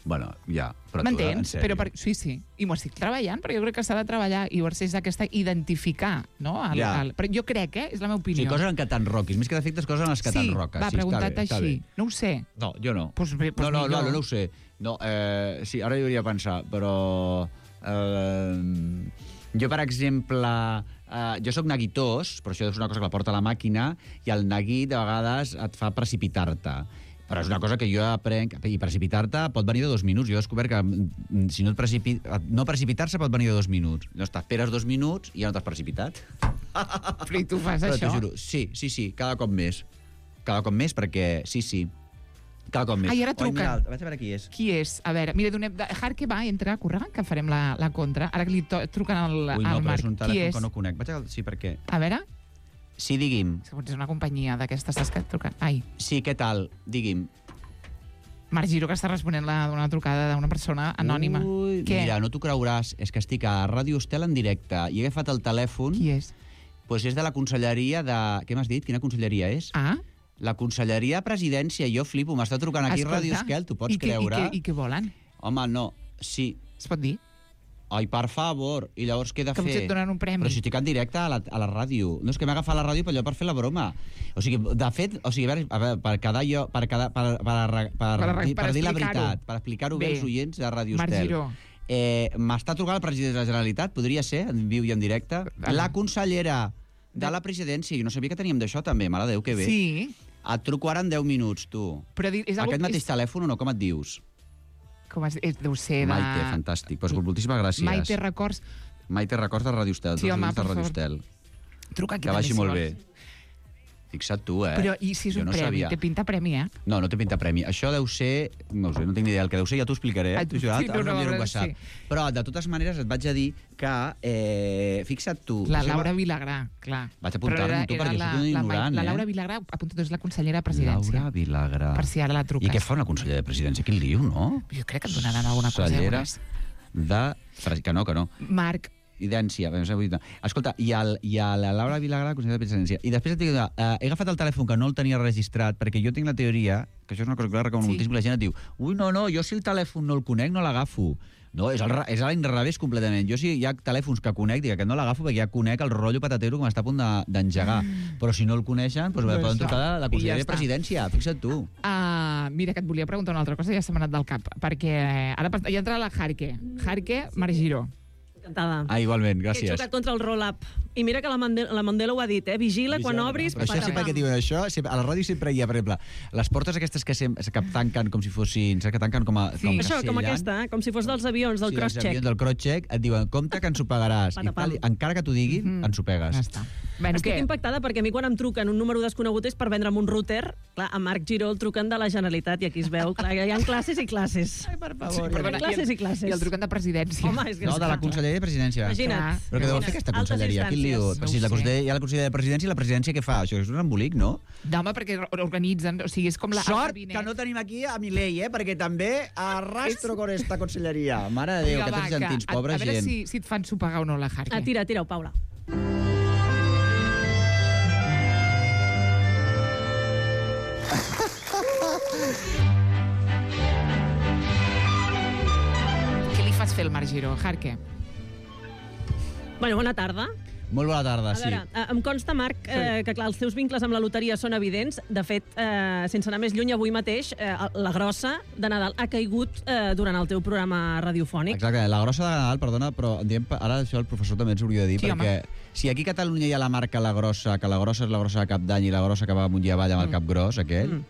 Bueno, ja. M'entens? Sí. I m'ho estic treballant, però jo crec que s'ha de treballar i és aquesta identificar, no? Però jo crec, és la meva opinió. Sí, coses en què t'enroquis. Més que defectes, coses en les que t'enroques. Sí, va, preguntat així. No ho sé. No, jo no. No ho sé. No, sí, ara hi hauria de pensar, però... Jo, per exemple... Jo sóc neguitós, però això és una cosa que la porta a la màquina, i el neguit, de vegades, et fa precipitar-te. Però és una cosa que jo aprenc, i precipitar-te pot venir de 2 minuts. Jo he descobert que si no precipitar-se pot venir de 2 minuts. No t'esperes 2 minuts i ja no t'has precipitat. Però i tu fas això? T'ho juro. Sí, cada cop més. Cada cop més perquè, sí. Cada cop més. Ai, ara truquen. Vaig a veure qui és. Qui és? A veure, mira, Harke va, entra, corre, que farem la contra. Ara que li truquen al Marc. Ui, no, però és un telèfon que no conec. Sí, perquè... A veure... Sí, digui'm. És una companyia d'aquestes que truquen. Ai. Sí, què tal? Digui'm. Marc Giró, que està responent una trucada d'una persona anònima. Ui, mira, no t'ho creuràs. És que estic a Ràdio Estel en directe i he agafat el telèfon... Qui és? Doncs és de la conselleria de... Què m'has dit? Quina conselleria és? La conselleria de presidència. Jo flipo, m'està trucant aquí Ràdio Estel, t'ho pots creure? I què volen? Home, no, sí. Es pot dir? Ai, per favor. I llavors què he de fer? Com si et donen un premi. Però si estic en directe a la ràdio. No, és que m'he agafat la ràdio per fer la broma. O sigui, de fet, a veure, per dir la veritat, per explicar-ho bé als oients de Ràdio Estel. M'està trucant el president de la Generalitat, podria ser, en viu i en directe, la consellera de la presidència. Jo no sabia que teníem d'això també, mare de Déu, que bé. Sí. Et truco ara en 10 minuts, tu. Aquest mateix telèfon o no? Com et dius? Com deu ser de... Maite, fantàstic. Pues moltíssimes gràcies. Maite Records. Maite Records de Ràdio Estel. Sí, home, per favor. Truca aquí. Que vagi molt bé. Fixa't tu, Però i si és un premi? Té pinta premi, No, no té pinta premi. Això deu ser... No sé, no tinc ni idea. El que deu ser ja t'ho explicaré. Però, de totes maneres, et vaig a dir que... Fixa't tu. La Laura Vilagrà, clar. Vaig apuntar-me tu, perquè soc un ignorant, La Laura Vilagrà, apunta, és la consellera de presidència. Laura Vilagrà. Per si ara la truques. I què fa una consellera de presidència? Quin lío, no? Jo crec que et donaran alguna cosa. Consellera de... Que no. Marc. Idència. Escolta, i a la Laura Vilagrà, consellera de presidència. I després he agafat el telèfon que no el tenia registrat, perquè jo tinc la teoria, que això és una cosa que la recomano moltíssim, la gent et diu, ui, no, jo si el telèfon no el conec, no l'agafo. No, és a l'inrevés completament. Jo si hi ha telèfons que conec, dic que no l'agafo perquè ja conec el rotllo patatero que m'està a punt d'engegar. Però si no el coneixen, doncs poden trucar a la consellera de presidència. Fixa't tu. Mira, que et volia preguntar una altra cosa, ja se m'ha anat del cap, perquè ara ja entra la Jarque, Marc Giró. Encantada. Igualment, Que he gràcies. xocat contra el roll-up. I mira que la Mandela ho ha dit, Vigila quan obris... Però això sempre que diuen això, a la ràdio sempre hi ha, per exemple, les portes aquestes que tanquen com si fossin... Que tanquen com a... Sí. Això, com aquesta, com si fos dels avions, del cross-check. Del cross-check, et diuen, compte que ens ho pagaràs. I tal, encara que t'ho diguin, ens ho pegues. Ja està. Bueno, Estic impactada perquè a mi quan em truquen un número desconegut és per vendre'm un router. Clar, a Marc Giró el truquen de la Generalitat i aquí es veu, clar, hi ha classes i classes. Ai, per favor. Perdona, Classes i classes. I el truquen de presidència. Home, és que No, de la Conselleria de Presidència. Imagina't. Però què deu fer aquesta conselleria? Quin lío? No Si ho sé. hi ha la Conselleria de Presidència i la Presidència què fa? Això és un embolic, no? No, home, perquè organitzen, o sigui, és com la... Sort que no tenim aquí a Milei, perquè també arrastro con esta conselleria. Mare de Déu, Vinga, aquests argentins, pobra a veure gent. si et fan sopegar o no la Jarque. Tira-ho, Paula. Què li fas fer al Marc Giró, Jarque? Bueno, bona tarda. Molt bona tarda, A sí. veure, em consta, Marc, que clar, els teus vincles amb la loteria són evidents. De fet, sense anar més lluny, avui mateix, la grossa de Nadal ha caigut durant el teu programa radiofònic. Exacte, la grossa de Nadal, perdona, però ara això el professor també ens hauria de dir, Sí, perquè si aquí a Catalunya hi ha la marca La Grossa, que la grossa és la grossa de Cap d'Any i la grossa que va amunt i avall amb el cap gros, aquell,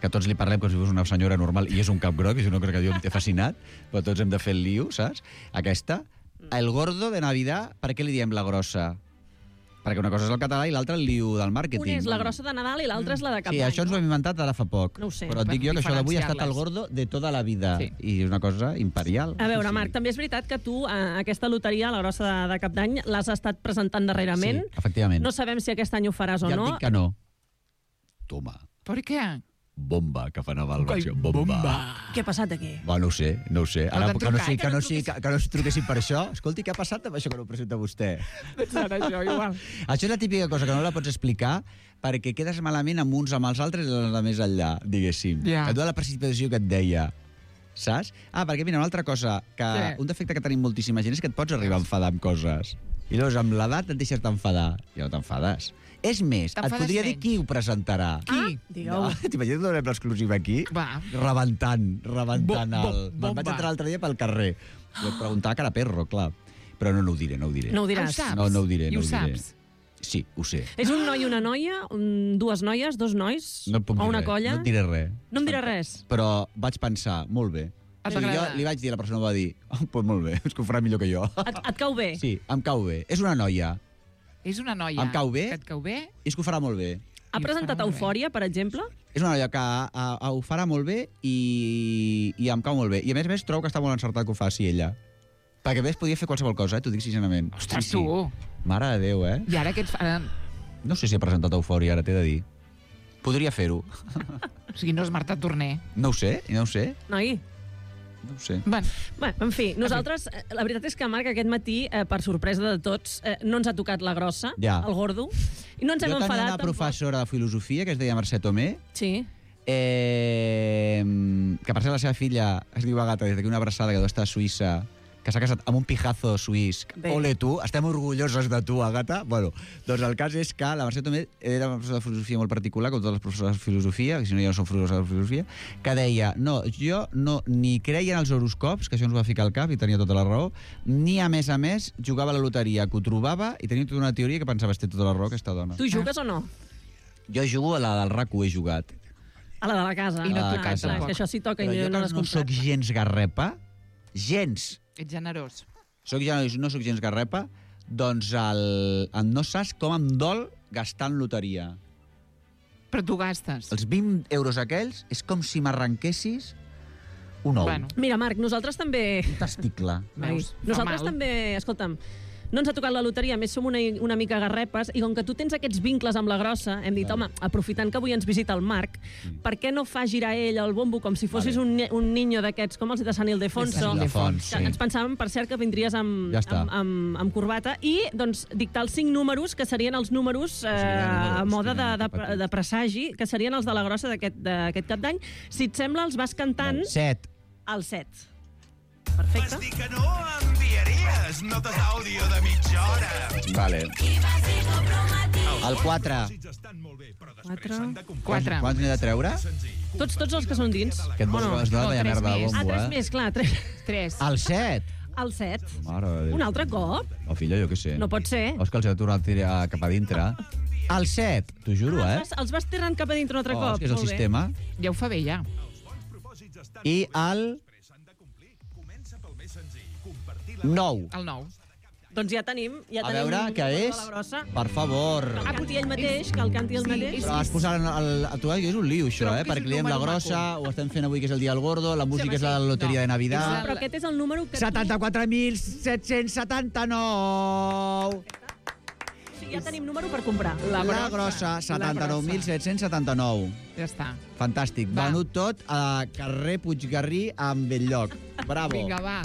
que tots li parlem com si fos una senyora normal i és un cap gros, que és una cosa que jo em té fascinat, però tots hem de fer el lío, saps? Aquesta. El gordo de Navidad, per què li diem la grossa? Perquè una cosa és el català i l'altra el lío del màrqueting. Una és la grossa de Nadal i l'altra és la de Cap Sí, d'Any. això ens ho hem inventat ara fa poc. No ho sé. Però et dic jo que això d'avui ha estat el diferenciar-les. gordo de tota la vida. Sí. I és una cosa imperial. A veure, Marc, també és veritat que tu aquesta loteria, la grossa de Cap d'Any, l'has estat presentant darrerament. Sí, efectivament. No sabem si aquest any ho faràs o ja no. et dic que no. Toma. Per què? Bomba, que fa Nadal, versió. Bomba. Què ha passat aquí? Va, no ho sé, no ho sé. No Ara, t'han que no, trucat, sí, que que, no no, sí, que no es truquessin per això. Escolti, què ha passat amb això que no ho presenta vostè? Serà això, igual. Això és la típica cosa que no la pots explicar perquè quedes malament amb uns amb els altres i els de més enllà, diguéssim. Ja. Et dona la precipitació que et deia. Saps? Perquè mira, una altra cosa, que Què? un defecte que tenim moltíssima gent és que et pots arribar a enfadar amb coses. I llavors amb l'edat et deixes d'enfadar. I no t'enfades. És més, et T'enfades podria dir menys. qui ho presentarà. Qui? Digueu. T'imagines donem l'exclusiva aquí? Va. Rebentant el... Bomba. Me'n vaig entrar l'altre dia pel carrer. Jo et preguntava cara perro, clar. Però no ho diré, no ho diré. No ho Ho diràs. saps? No ho diré, I no ho ho diré. saps? Sí, ho sé. És un noi i una noia? Dues noies? Dos nois? No et puc o dir una res. colla? No et diré res. No em diràs res? Però vaig pensar, molt bé. Et I va jo agradar? li vaig dir, la persona va dir, pues molt bé, és que ho farà millor que jo. Et cau bé? Sí, em cau bé. És una noia. És una noia. Em cau bé? Que et cau bé? És que ho farà molt bé. Ha presentat molt bé. Eufòria, per exemple? És una noia que ho farà molt bé i em cau molt bé. I a més, trobo que està molt encertat que ho faci ella. Perquè a més podria fer qualsevol cosa, t'ho dic sincerament. Ostres, tu. Mare de Déu, eh? I ara què et fa... No sé si ha presentat Eufòria, ara t'he de dir. Podria fer-ho. O sigui, no és Marta Torner. No ho sé, no ho sé. Noi? No ho sé. Bueno, Bé, en fi, nosaltres, la veritat és que, Marc, aquest matí, per sorpresa de tots, no ens ha tocat la grossa, Ja. el gordo, i no ens hem Jo tenia enfadat una professora de filosofia que es deia Mercè Tomé, Sí. que per ser la seva filla es diu Agata, des d'aquí una abraçada que deu estar a Suïssa, que s'ha casat amb un pijazo suís. Bé. Ole tu, estem orgullosos de tu, Agata. Bueno, doncs el cas és que la Mercè Tomé era una professora de filosofia molt particular, com totes les professores de filosofia, que si no ja no són professors de filosofia, que deia, no, jo no ni creia en els horoscops, que això ens va ficar al cap i tenia tota la raó, ni a més, jugava a la loteria, que ho trobava i tenia tota una teoria que pensava, té tota la raó aquesta dona. Tu jugues o no? Jo jugo a la del RAC1, he jugat. A la de la casa. I no A la et casa. toca, És que això sí toca Però i jo no que l'has no sóc comprat. gens garrepa, gens, ets generós. no sóc gens garrepa, doncs no saps com em dol gastar en loteria. Però tu gastes. Els 20 euros aquells és com si m'arrenquessis un ou, Bueno, Mira, Marc, nosaltres també... un testicle. veus, fa Nosaltres mal. també, escolta'm, no ens ha tocat la loteria, a més som una mica garrepes, i com que tu tens aquests vincles amb la grossa, hem dit, home, aprofitant que avui ens visita el Marc, per què no fa girar ell el bombo com si fossis un niño d'aquests, com els de Sant Ildefons, De Sant Ildefons, sí. Ens pensàvem, per cert, que vindries amb, Ja està. amb corbata, i doncs dictar els 5 números, que serien els números a mode de presagi, que serien els de la grossa d'aquest cap d'any. Si et sembla, els vas cantant 7. al 7. Perfecte. Vas dir que no enviaries. hores, notes d'àudio de mitja hora. Vale. El 4. 4. Quants n'he de treure? Tots els que són dins. Aquest bombo es dona de merda de bombo, 3 més, clar. 3. El 7. El 7. Mare de Déu. Un altre cop? Oh, filla, jo què sé. No pot ser. O és que els he de tornar a tirar cap a dintre. El 7, t'ho juro, Els vas tirant cap a dintre un altre cop. És que és el sistema. Ja ho fa bé, ja. I el 9. El 9. Doncs ja tenim... A veure, què és? Per favor. Que el canti ell mateix, que el canti ell mateix. Però has posat tu és un lío, això, perquè li diem la grossa, ho estem fent avui, que és el dia del gordo, la música és la loteria de Navidad. Però aquest és el número que... 74.779. Ja tenim número per comprar. La grossa, 79.779. Ja està. Fantàstic. Venut tot a carrer Puiggarrí amb Belllloc. Bravo. Vinga, va.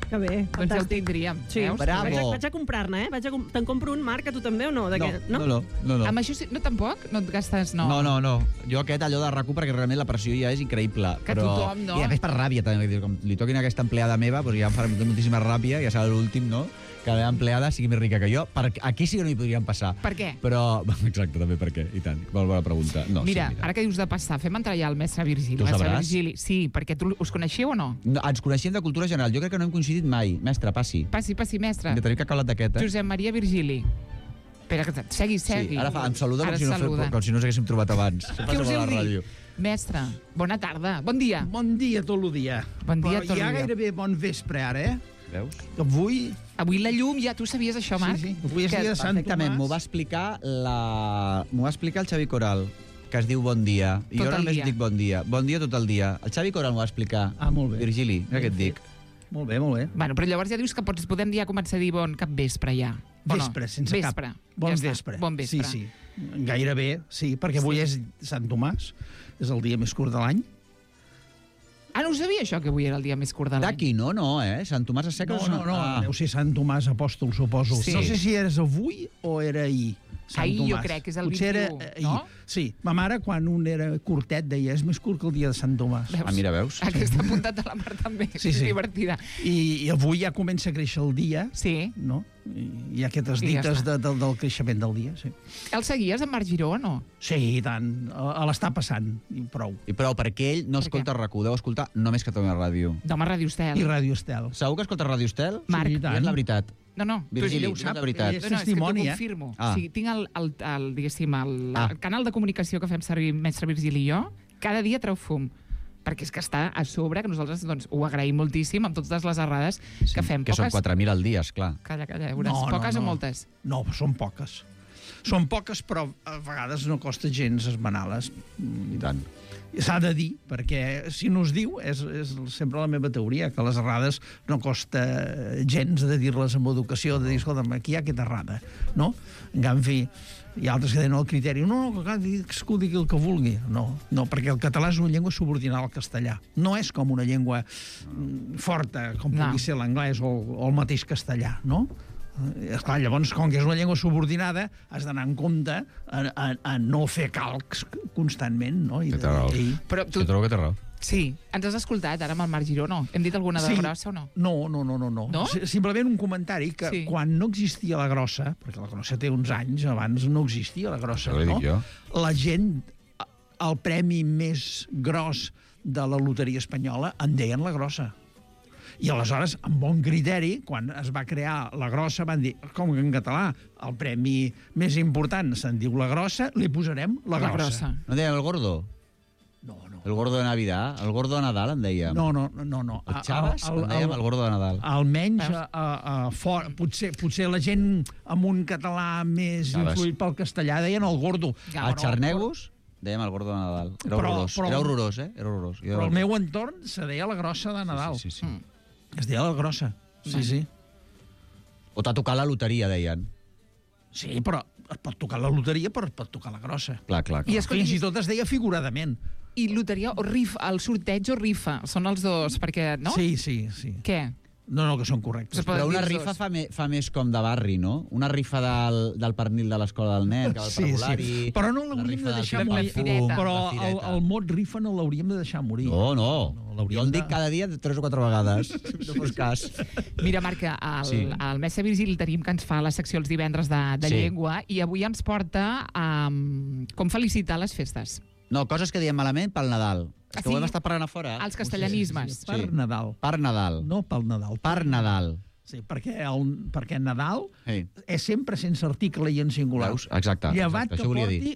Que bé. Doncs ja ho tindríem. Sí. Veus? Bravo. Vaig a comprar-ne, Te'n compro un, Marc, a tu també o no? No. Amb això sí, no tampoc? No et gastes, no? No. Jo aquest, allò de RAC1, perquè realment la pressió ja és increïble. Que tothom, no? I a més per ràbia, també. Com li toquin aquesta empleada meva, doncs ja em farà moltíssima ràbia, ja serà l'últim, no? Que la meva empleada sigui més rica que jo. Aquí sí que no hi podrien passar. Per què? Però, exacte, també per què, i tant. Molt bona pregunta. No, mira, ara que dius de passar, fem entrar ja el mestre Virgili. Tu sabràs? Virgili, sí, perquè us coneixeu o no? Ens coneixem de cultura general. Jo crec que no hem coincidit mai. Mestre, passi. Passi, mestre. De tenir cacalat d'aquest, Josep Maria Virgili. Espera, segui. Sí, ara em saluda com si no ens haguéssim trobat abans. Què us heu dit? Mestre, bona tarda. Bon dia. Bon dia tot el dia. Bon dia tot el dia. Però ja gairebé bon vespre, ara, Veus? Avui la llum, ja tu sabies això, Marc? Sí. Avui és dia de Sant Tomàs. M'ho va explicar el Xavi Coral, que es diu Bon dia. I jo només dic bon dia. Bon dia tot el dia. El Xavi Coral m'ho va explicar. Molt bé. Virgili, què et dic? Molt bé. Bueno, però llavors ja dius que podem ja començar a dir bon cap vespre, ja. Vespre, sense cap. Bon vespre. Bon vespre. Sí. Gairebé, sí, perquè avui és Sant Tomàs. És el dia més curt de l'any. Ah, no ho sabia, això, que avui era el dia més curt de l'any. D'aquí no, Sant Tomàs a Secles... No, deu ser Sant Tomàs Apòstol, suposo. Sí. No sé si eres avui o era ahir. Ahir jo crec que és el 21, no? Sí, ma mare, quan un era curtet, deia és més curt que el dia de Sant Tomàs. Mira, veus? Aquesta apuntat de la Mar també, sí. És divertida. I avui ja comença a créixer el dia, sí. No? Hi ha aquestes dites del creixement del dia, sí. El seguies, en Marc Giró, o no? Sí, i tant. L'està passant, i prou. I prou, perquè ell no escolta RAC1, deu escoltar només Catalunya Ràdio. Home, Ràdio Estel. I Ràdio Estel. Segur que escolta Ràdio Estel? Marc. Sí, i tant. És la veritat. No. Virgili, ho sap, la veritat. és testimoni, és que t'ho confirmo. Ah. O sigui, tinc el canal de comunicació que fem servir mestre Virgili i jo, cada dia treu fum. Perquè és que està a sobre, que nosaltres doncs, ho agraïm moltíssim amb totes les errades que fem. Que són 4.000 al dia, esclar. Calla, veuràs. Poques o moltes? No, són poques. Són poques, però a vegades no costa gens esmenar-les. I tant. S'ha de dir, perquè si no es diu, és sempre la meva teoria, que les errades no costa gens de dir-les amb educació, de dir, escolta'm, aquí hi ha aquesta errada, no? En canvi, hi ha altres que tenen el criteri, no, que cadascú digui el que vulgui. No, perquè el català és una llengua subordinada al castellà. No és com una llengua forta, com pugui ser l'anglès o el mateix castellà, no? Esclar, llavors, com que és una llengua subordinada, has d'anar en compte a no fer calcs constantment, no? Té raó. Però tu... Jo trobo que té raó. Sí. Ens has escoltat ara amb el Marc Giró, no? Hem dit alguna de grossa o no? No. Simplement un comentari que quan no existia la grossa, perquè la grossa té uns anys, abans no existia la grossa, no? La gent, el premi més gros de la loteria espanyola en deien la grossa. I aleshores, amb bon criteri, quan es va crear la grossa, van dir, com que en català el premi més important se'n diu la grossa, li posarem la grossa. No deien el gordo? No. El gordo de Navidad? El gordo de Nadal, en dèiem? No. El Chaves, en dèiem el gordo de Nadal. Almenys, potser la gent amb un català més influït pel castellà deien el gordo. El Xarnegus? Dèiem el gordo de Nadal. Era horrorós. Era horrorós. Però al meu entorn se deia la grossa de Nadal. Sí. Es deia la grossa. Sí. O t'ha tocat la loteria, deien. Sí, però es pot tocar la loteria, però es pot tocar la grossa. Clar. I fins i tot es deia figuradament. I loteria o rifa, el sorteig o rifa, són els dos, perquè, no? Sí. Què? No, que són correctes. Però una rifa fa més com de barri, no? Una rifa del pernil de l'escola del nen, que va al parvulari... Sí. Però no l'hauríem de deixar morir. Però el mot rifa no l'hauríem de deixar morir. No. Jo el dic cada dia 3 o 4 vegades. No fos cas. Mira, Marc, el mestre Virgili tenim que ens fa la secció els divendres de llengua i avui ens porta a com felicitar les festes. No, coses que diem malament pel Nadal. És que ho hem estat parlant a fora. Els castellanismes. Per Nadal. Per Nadal. No pel Nadal. Per Nadal. Sí, perquè Nadal és sempre sense article i en singular. Veus? Exacte. Llevat que porti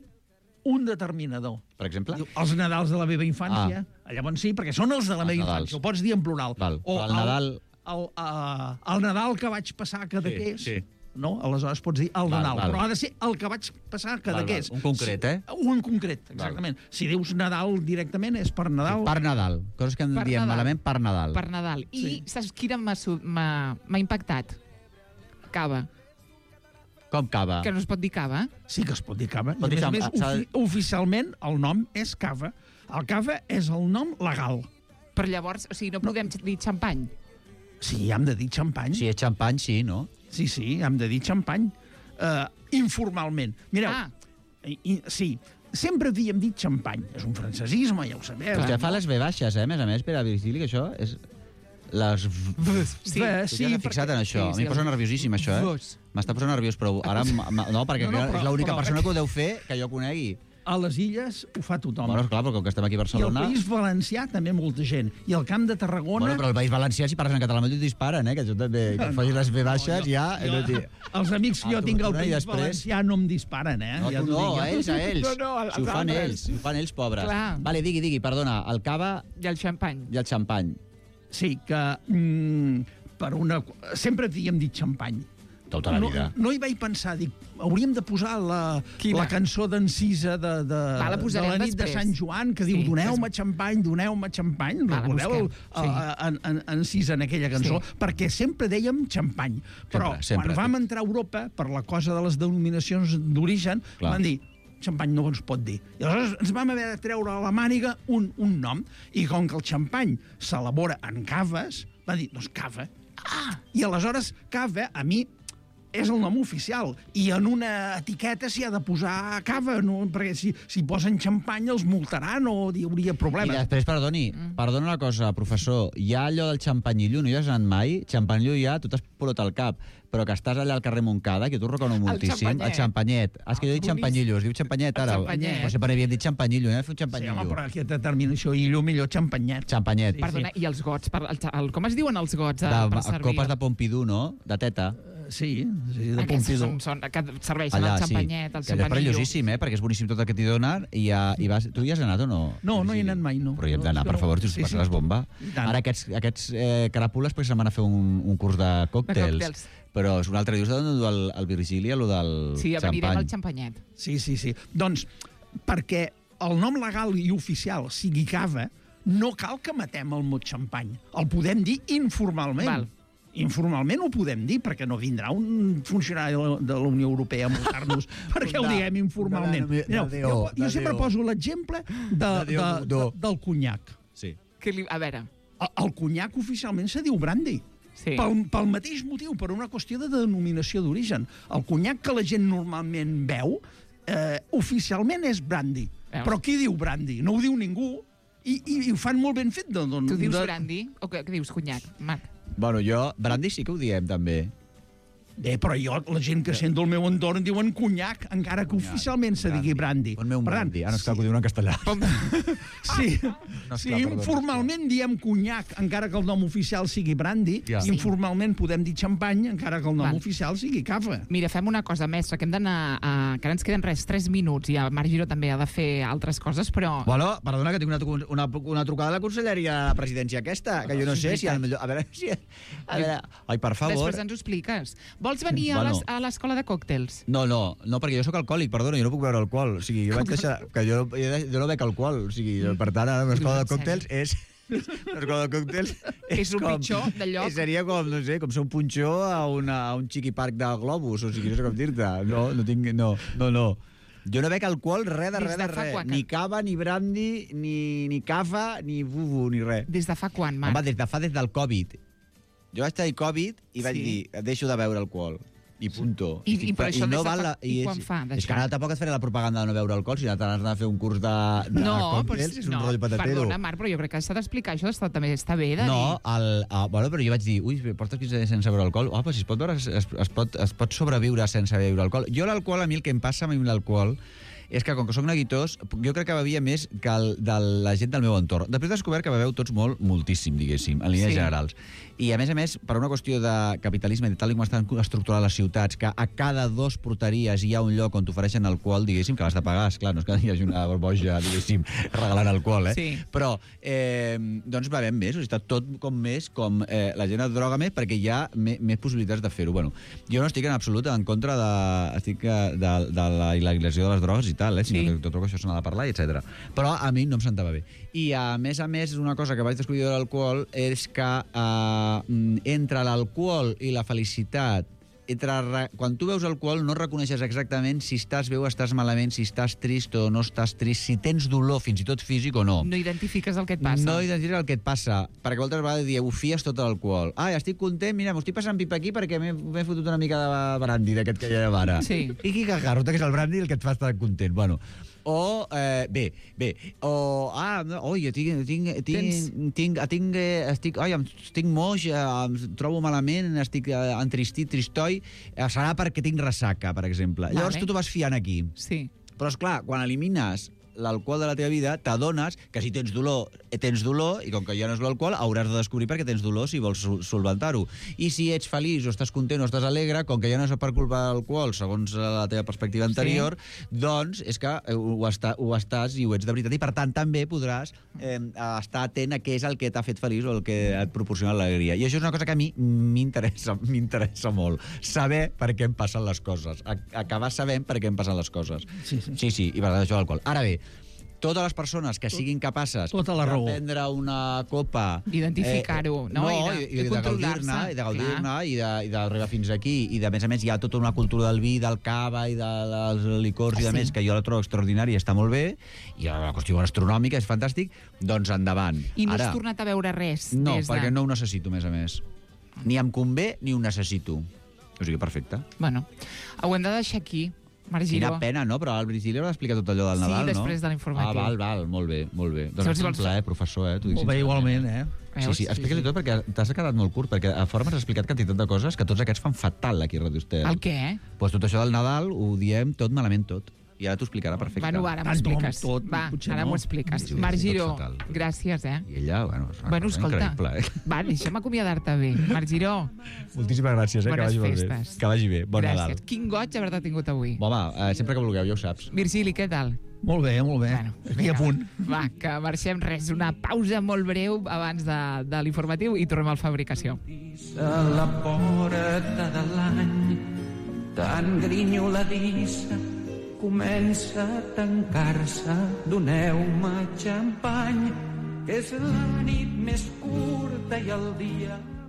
un determinador. Per exemple? Els Nadals de la meva infància. Llavors sí, perquè són els de la meva infància. Ho pots dir en plural. O el Nadal... El Nadal que vaig passar a Cadaqués. Sí. No? Aleshores pots dir el Nadal, però ha de ser el que vaig passar a Cadaqués. Un concret, Un concret, exactament. Si dius Nadal directament és per Nadal. Per Nadal. Coses que en diem malament per Nadal. Per Nadal. I saps quina m'ha impactat? Cava. Com cava? Que no es pot dir cava? Sí que es pot dir cava. I a més, oficialment el nom és cava. El cava és el nom legal. Però llavors, o sigui, no podem dir xampany? Sí, hem de dir xampany. Si és xampany, sí, no? Sí, hem de dir xampany. Informalment. Mireu, sí, sempre havíem dit xampany. És un francesisme, ja ho sabeu. Vostè fa les V baixes, a més, per a Virgili, que això és... Les Sí, tu t'has fixat en això. A mi em posa nerviosíssim, això, M'està posant nerviós, però ara... No, perquè és l'única persona que ho deu fer que jo conegui. A les Illes ho fa tothom. Bueno, esclar, però com que estem aquí a Barcelona... I al País Valencià també molta gent. I al Camp de Tarragona... Bueno, però al País Valencià, si parles en català, no t'ho disparen, que tu també... Que et facis les V baixes, ja... Els amics que jo tinc al País Valencià no em disparen, No, a ells. Si ho fan ells, pobres. Vale, digui, perdona, el cava... I el xampany. I el xampany. Sí, que per una... Sempre havíem dit xampany. Tota la vida. No hi vaig pensar, dic, hauríem de posar la cançó d'Encisa de la nit de Sant Joan, que diu doneu-me xampany, recordeu Encisa en aquella cançó, perquè sempre dèiem xampany. Però quan vam entrar a Europa, per la cosa de les denominacions d'origen, van dir xampany no es pot dir. I aleshores ens vam haver de treure a la màniga un nom, i com que el xampany s'elabora en caves, va dir, doncs cava. I aleshores cava, a mi, és el nom oficial, i en una etiqueta s'hi ha de posar cava, perquè si posen xampany els multaran o hi hauria problemes. I després, perdona una cosa, professor, hi ha allò del xampanyillo, no hi has anat mai? Xampanyillo ja, tu t'has polot al cap, però que estàs allà al carrer Montcada, que tu reconno moltíssim, el xampanyet. És que jo he dit xampanyillo, es diu xampanyet ara. Però sempre havíem dit xampanyillo, fer un xampanyillo. Sí, home, però aquesta terminació, millor xampanyet. Xampanyet. Perdona, i els gots, com es diuen els gots per servir? Copes de Pompidou, no? De teta. Sí, de Pompidou. Que serveixen el xampanyet, el xampanyillo. És perillosíssim, perquè és boníssim tot el que t'hi donen. Tu hi has anat o no? No hi he anat mai, no. Però hi hem d'anar, per favor, tu passes bomba. Ara aquests caràpules se'n van a fer un curs de còctels. Però és un altre dia, d'on du el Virgili, allò del xampany. Sí, anirem al xampanyet. Sí. Doncs, perquè el nom legal i oficial sigui cava, no cal que matem el mot xampany. El podem dir informalment. Informalment ho podem dir, perquè no vindrà un funcionari de la Unió Europea a multar-nos perquè ho diguem informalment. Jo sempre poso l'exemple del conyac. Sí. A veure... El conyac oficialment se diu brandy. Sí. Pel mateix motiu, per una qüestió de denominació d'origen. El conyac que la gent normalment beu, oficialment és brandy. Però qui diu brandy? No ho diu ningú, i ho fan molt ben fet. Tu dius brandy? O què dius conyac, Marc? Bueno, brandy sí que ho diem, també. Però la gent que sent del meu entorn diuen conyac, encara que oficialment se digui brandy. Ponme un brandy. No és clar que ho diuen en castellà. Sí, informalment diem conyac, encara que el nom oficial sigui brandy. Informalment podem dir xampany, encara que el nom oficial sigui cava. Mira, fem una cosa, mestre, que hem d'anar... que ara ens queden 3 minuts, i el Marc Giró també ha de fer altres coses, però... Bueno, perdona, que tinc una trucada de la conselleria de la presidència aquesta, que jo no sé si... A veure si... Ai, per favor. Després ens ho expliques. Vols venir a l'escola de còctels? No, perquè jo sóc alcohòlic, perdona, jo no puc beure alcohol. O sigui, jo vaig deixar... Que jo no bec alcohol. O sigui, per tant, ara l'escola de còctels és... L'escola de còctels és un pitjor de lloc. Seria com, no sé, com ser un punxó a un xiqui parc de globus. O sigui, no sé com dir-te. No tinc... No. Jo no bec alcohol, res de res. Ni cava, ni brandy, ni cava, ni bubu, ni res. Des de fa quan, Marc? Home, des del Covid. Jo vaig tenir Covid i vaig dir, deixo de beure alcohol. I punto. Però això no val quan fa, d'això? És que ara tampoc et faré la propaganda de no beure alcohol, si ara t'has d'anar a fer un curs de còctels, és un rotllo patatero. Perdona, Marc, però jo crec que s'ha d'explicar això, també està bé de dir. No, bueno, però jo vaig dir, portes 15 dies sense beure alcohol? Però si es pot sobreviure sense beure alcohol. Jo l'alcohol, a mi el que em passa amb l'alcohol és que, com que soc neguitós, jo crec que bevia més que de la gent del meu entorn. Després he descobert que beveu tots moltíssim, diguéssim, en línies generals. I, a més, per una qüestió de capitalisme, de tal com estan estructurades les ciutats, que a cada 2 porteries hi ha un lloc on t'ofereixen alcohol, diguéssim, que l'has de pagar, esclar, no és que hi hagi una boja, diguéssim, regalant alcohol, Sí. Però, doncs, bevem més, o sigui, està tot com més, com la gent es droga més, perquè hi ha més possibilitats de fer-ho. Bueno, jo no estic en absolut en contra de la il·legalització de les drogues i tal, sinó que tot això se n'ha de parlar, etc. Però a mi no em sentava bé. I, a més, una cosa que vaig descobrir de l'alcohol és que entre l'alcohol i la felicitat, quan tu veus alcohol no reconeixes exactament si estàs bé o estàs malament, si estàs trist o no estàs trist, si tens dolor, fins i tot físic o no. No identifiques el que et passa. No identifiques el que et passa, perquè moltes vegades ho fies tot l'alcohol. Estic content, mira, m'ho estic passant pipa aquí perquè m'he fotut una mica de brandy d'aquest que hi ha ara. Sí. I qui cagarrota, que és el brandy el que et fa estar content. Bueno, o, jo estic moix, em trobo malament, estic entristit, tristoi, serà perquè tinc ressaca, per exemple. Llavors tu t'ho vas fiant aquí. Sí. Però, esclar, quan elimines l'alcohol de la teva vida, t'adones que si tens dolor, i com que ja no és l'alcohol, hauràs de descobrir perquè tens dolor si vols solventar-ho. I si ets feliç o estàs content o estàs alegre, com que ja no és per culpa de l'alcohol, segons la teva perspectiva anterior, doncs és que ho estàs i ho ets de veritat. I, per tant, també podràs estar atent a què és el que t'ha fet feliç o el que et proporciona l'alegria. I això és una cosa que a mi m'interessa molt. Saber per què em passen les coses. Acabar sabent per què em passen les coses. Sí, i per tant, això l'alcohol. Ara bé, totes les persones que siguin capaces de prendre una copa... Identificar-ho, no? I de gaudir-ne, i d'arribar fins aquí. I, a més, hi ha tota una cultura del vi, del cava i dels licors i de més, que jo la trobo extraordinària i està molt bé, i la qüestió gastronòmica és fantàstic, doncs endavant. I no has tornat a veure res? No, perquè no ho necessito, a més. Ni em convé ni ho necessito. O sigui, perfecte. Bueno, ho hem de deixar aquí. Marc Giró. Quina pena, no? Però el Virgili haurà explicat tot allò del Nadal, no? Sí, després de l'informatiu. Val, molt bé. Doncs un plaer, professor, Molt bé, igualment, Sí, explica-li tot, perquè t'has quedat molt curt, perquè a fora m'has explicat quantitat de coses que tots aquests fan fatal aquí a Radio Estel. El què? Doncs tot això del Nadal ho diem tot malament tot. I ara t'ho explicarà perfecte. Bueno, ara m'ho expliques. Ara m'ho expliques. Marc Giró, gràcies, I ella, és increïble, Va, deixa'm acomiadar-te bé. Marc Giró. Moltíssimes gràcies, que vagi molt bé. Que vagi bé. Bon Nadal. Gràcies. Quin goig haver-te tingut avui. Home, sempre que vulgueu, ja ho saps. Virgili, què tal? Molt bé. Aquí a punt. Va, que marxem una pausa molt breu abans de l'informatiu i tornem al Fabricació. A la porta de l'any, tan grinyoladissa, comença a tancar-se, doneu-me xampany, que és la nit més curta i el dia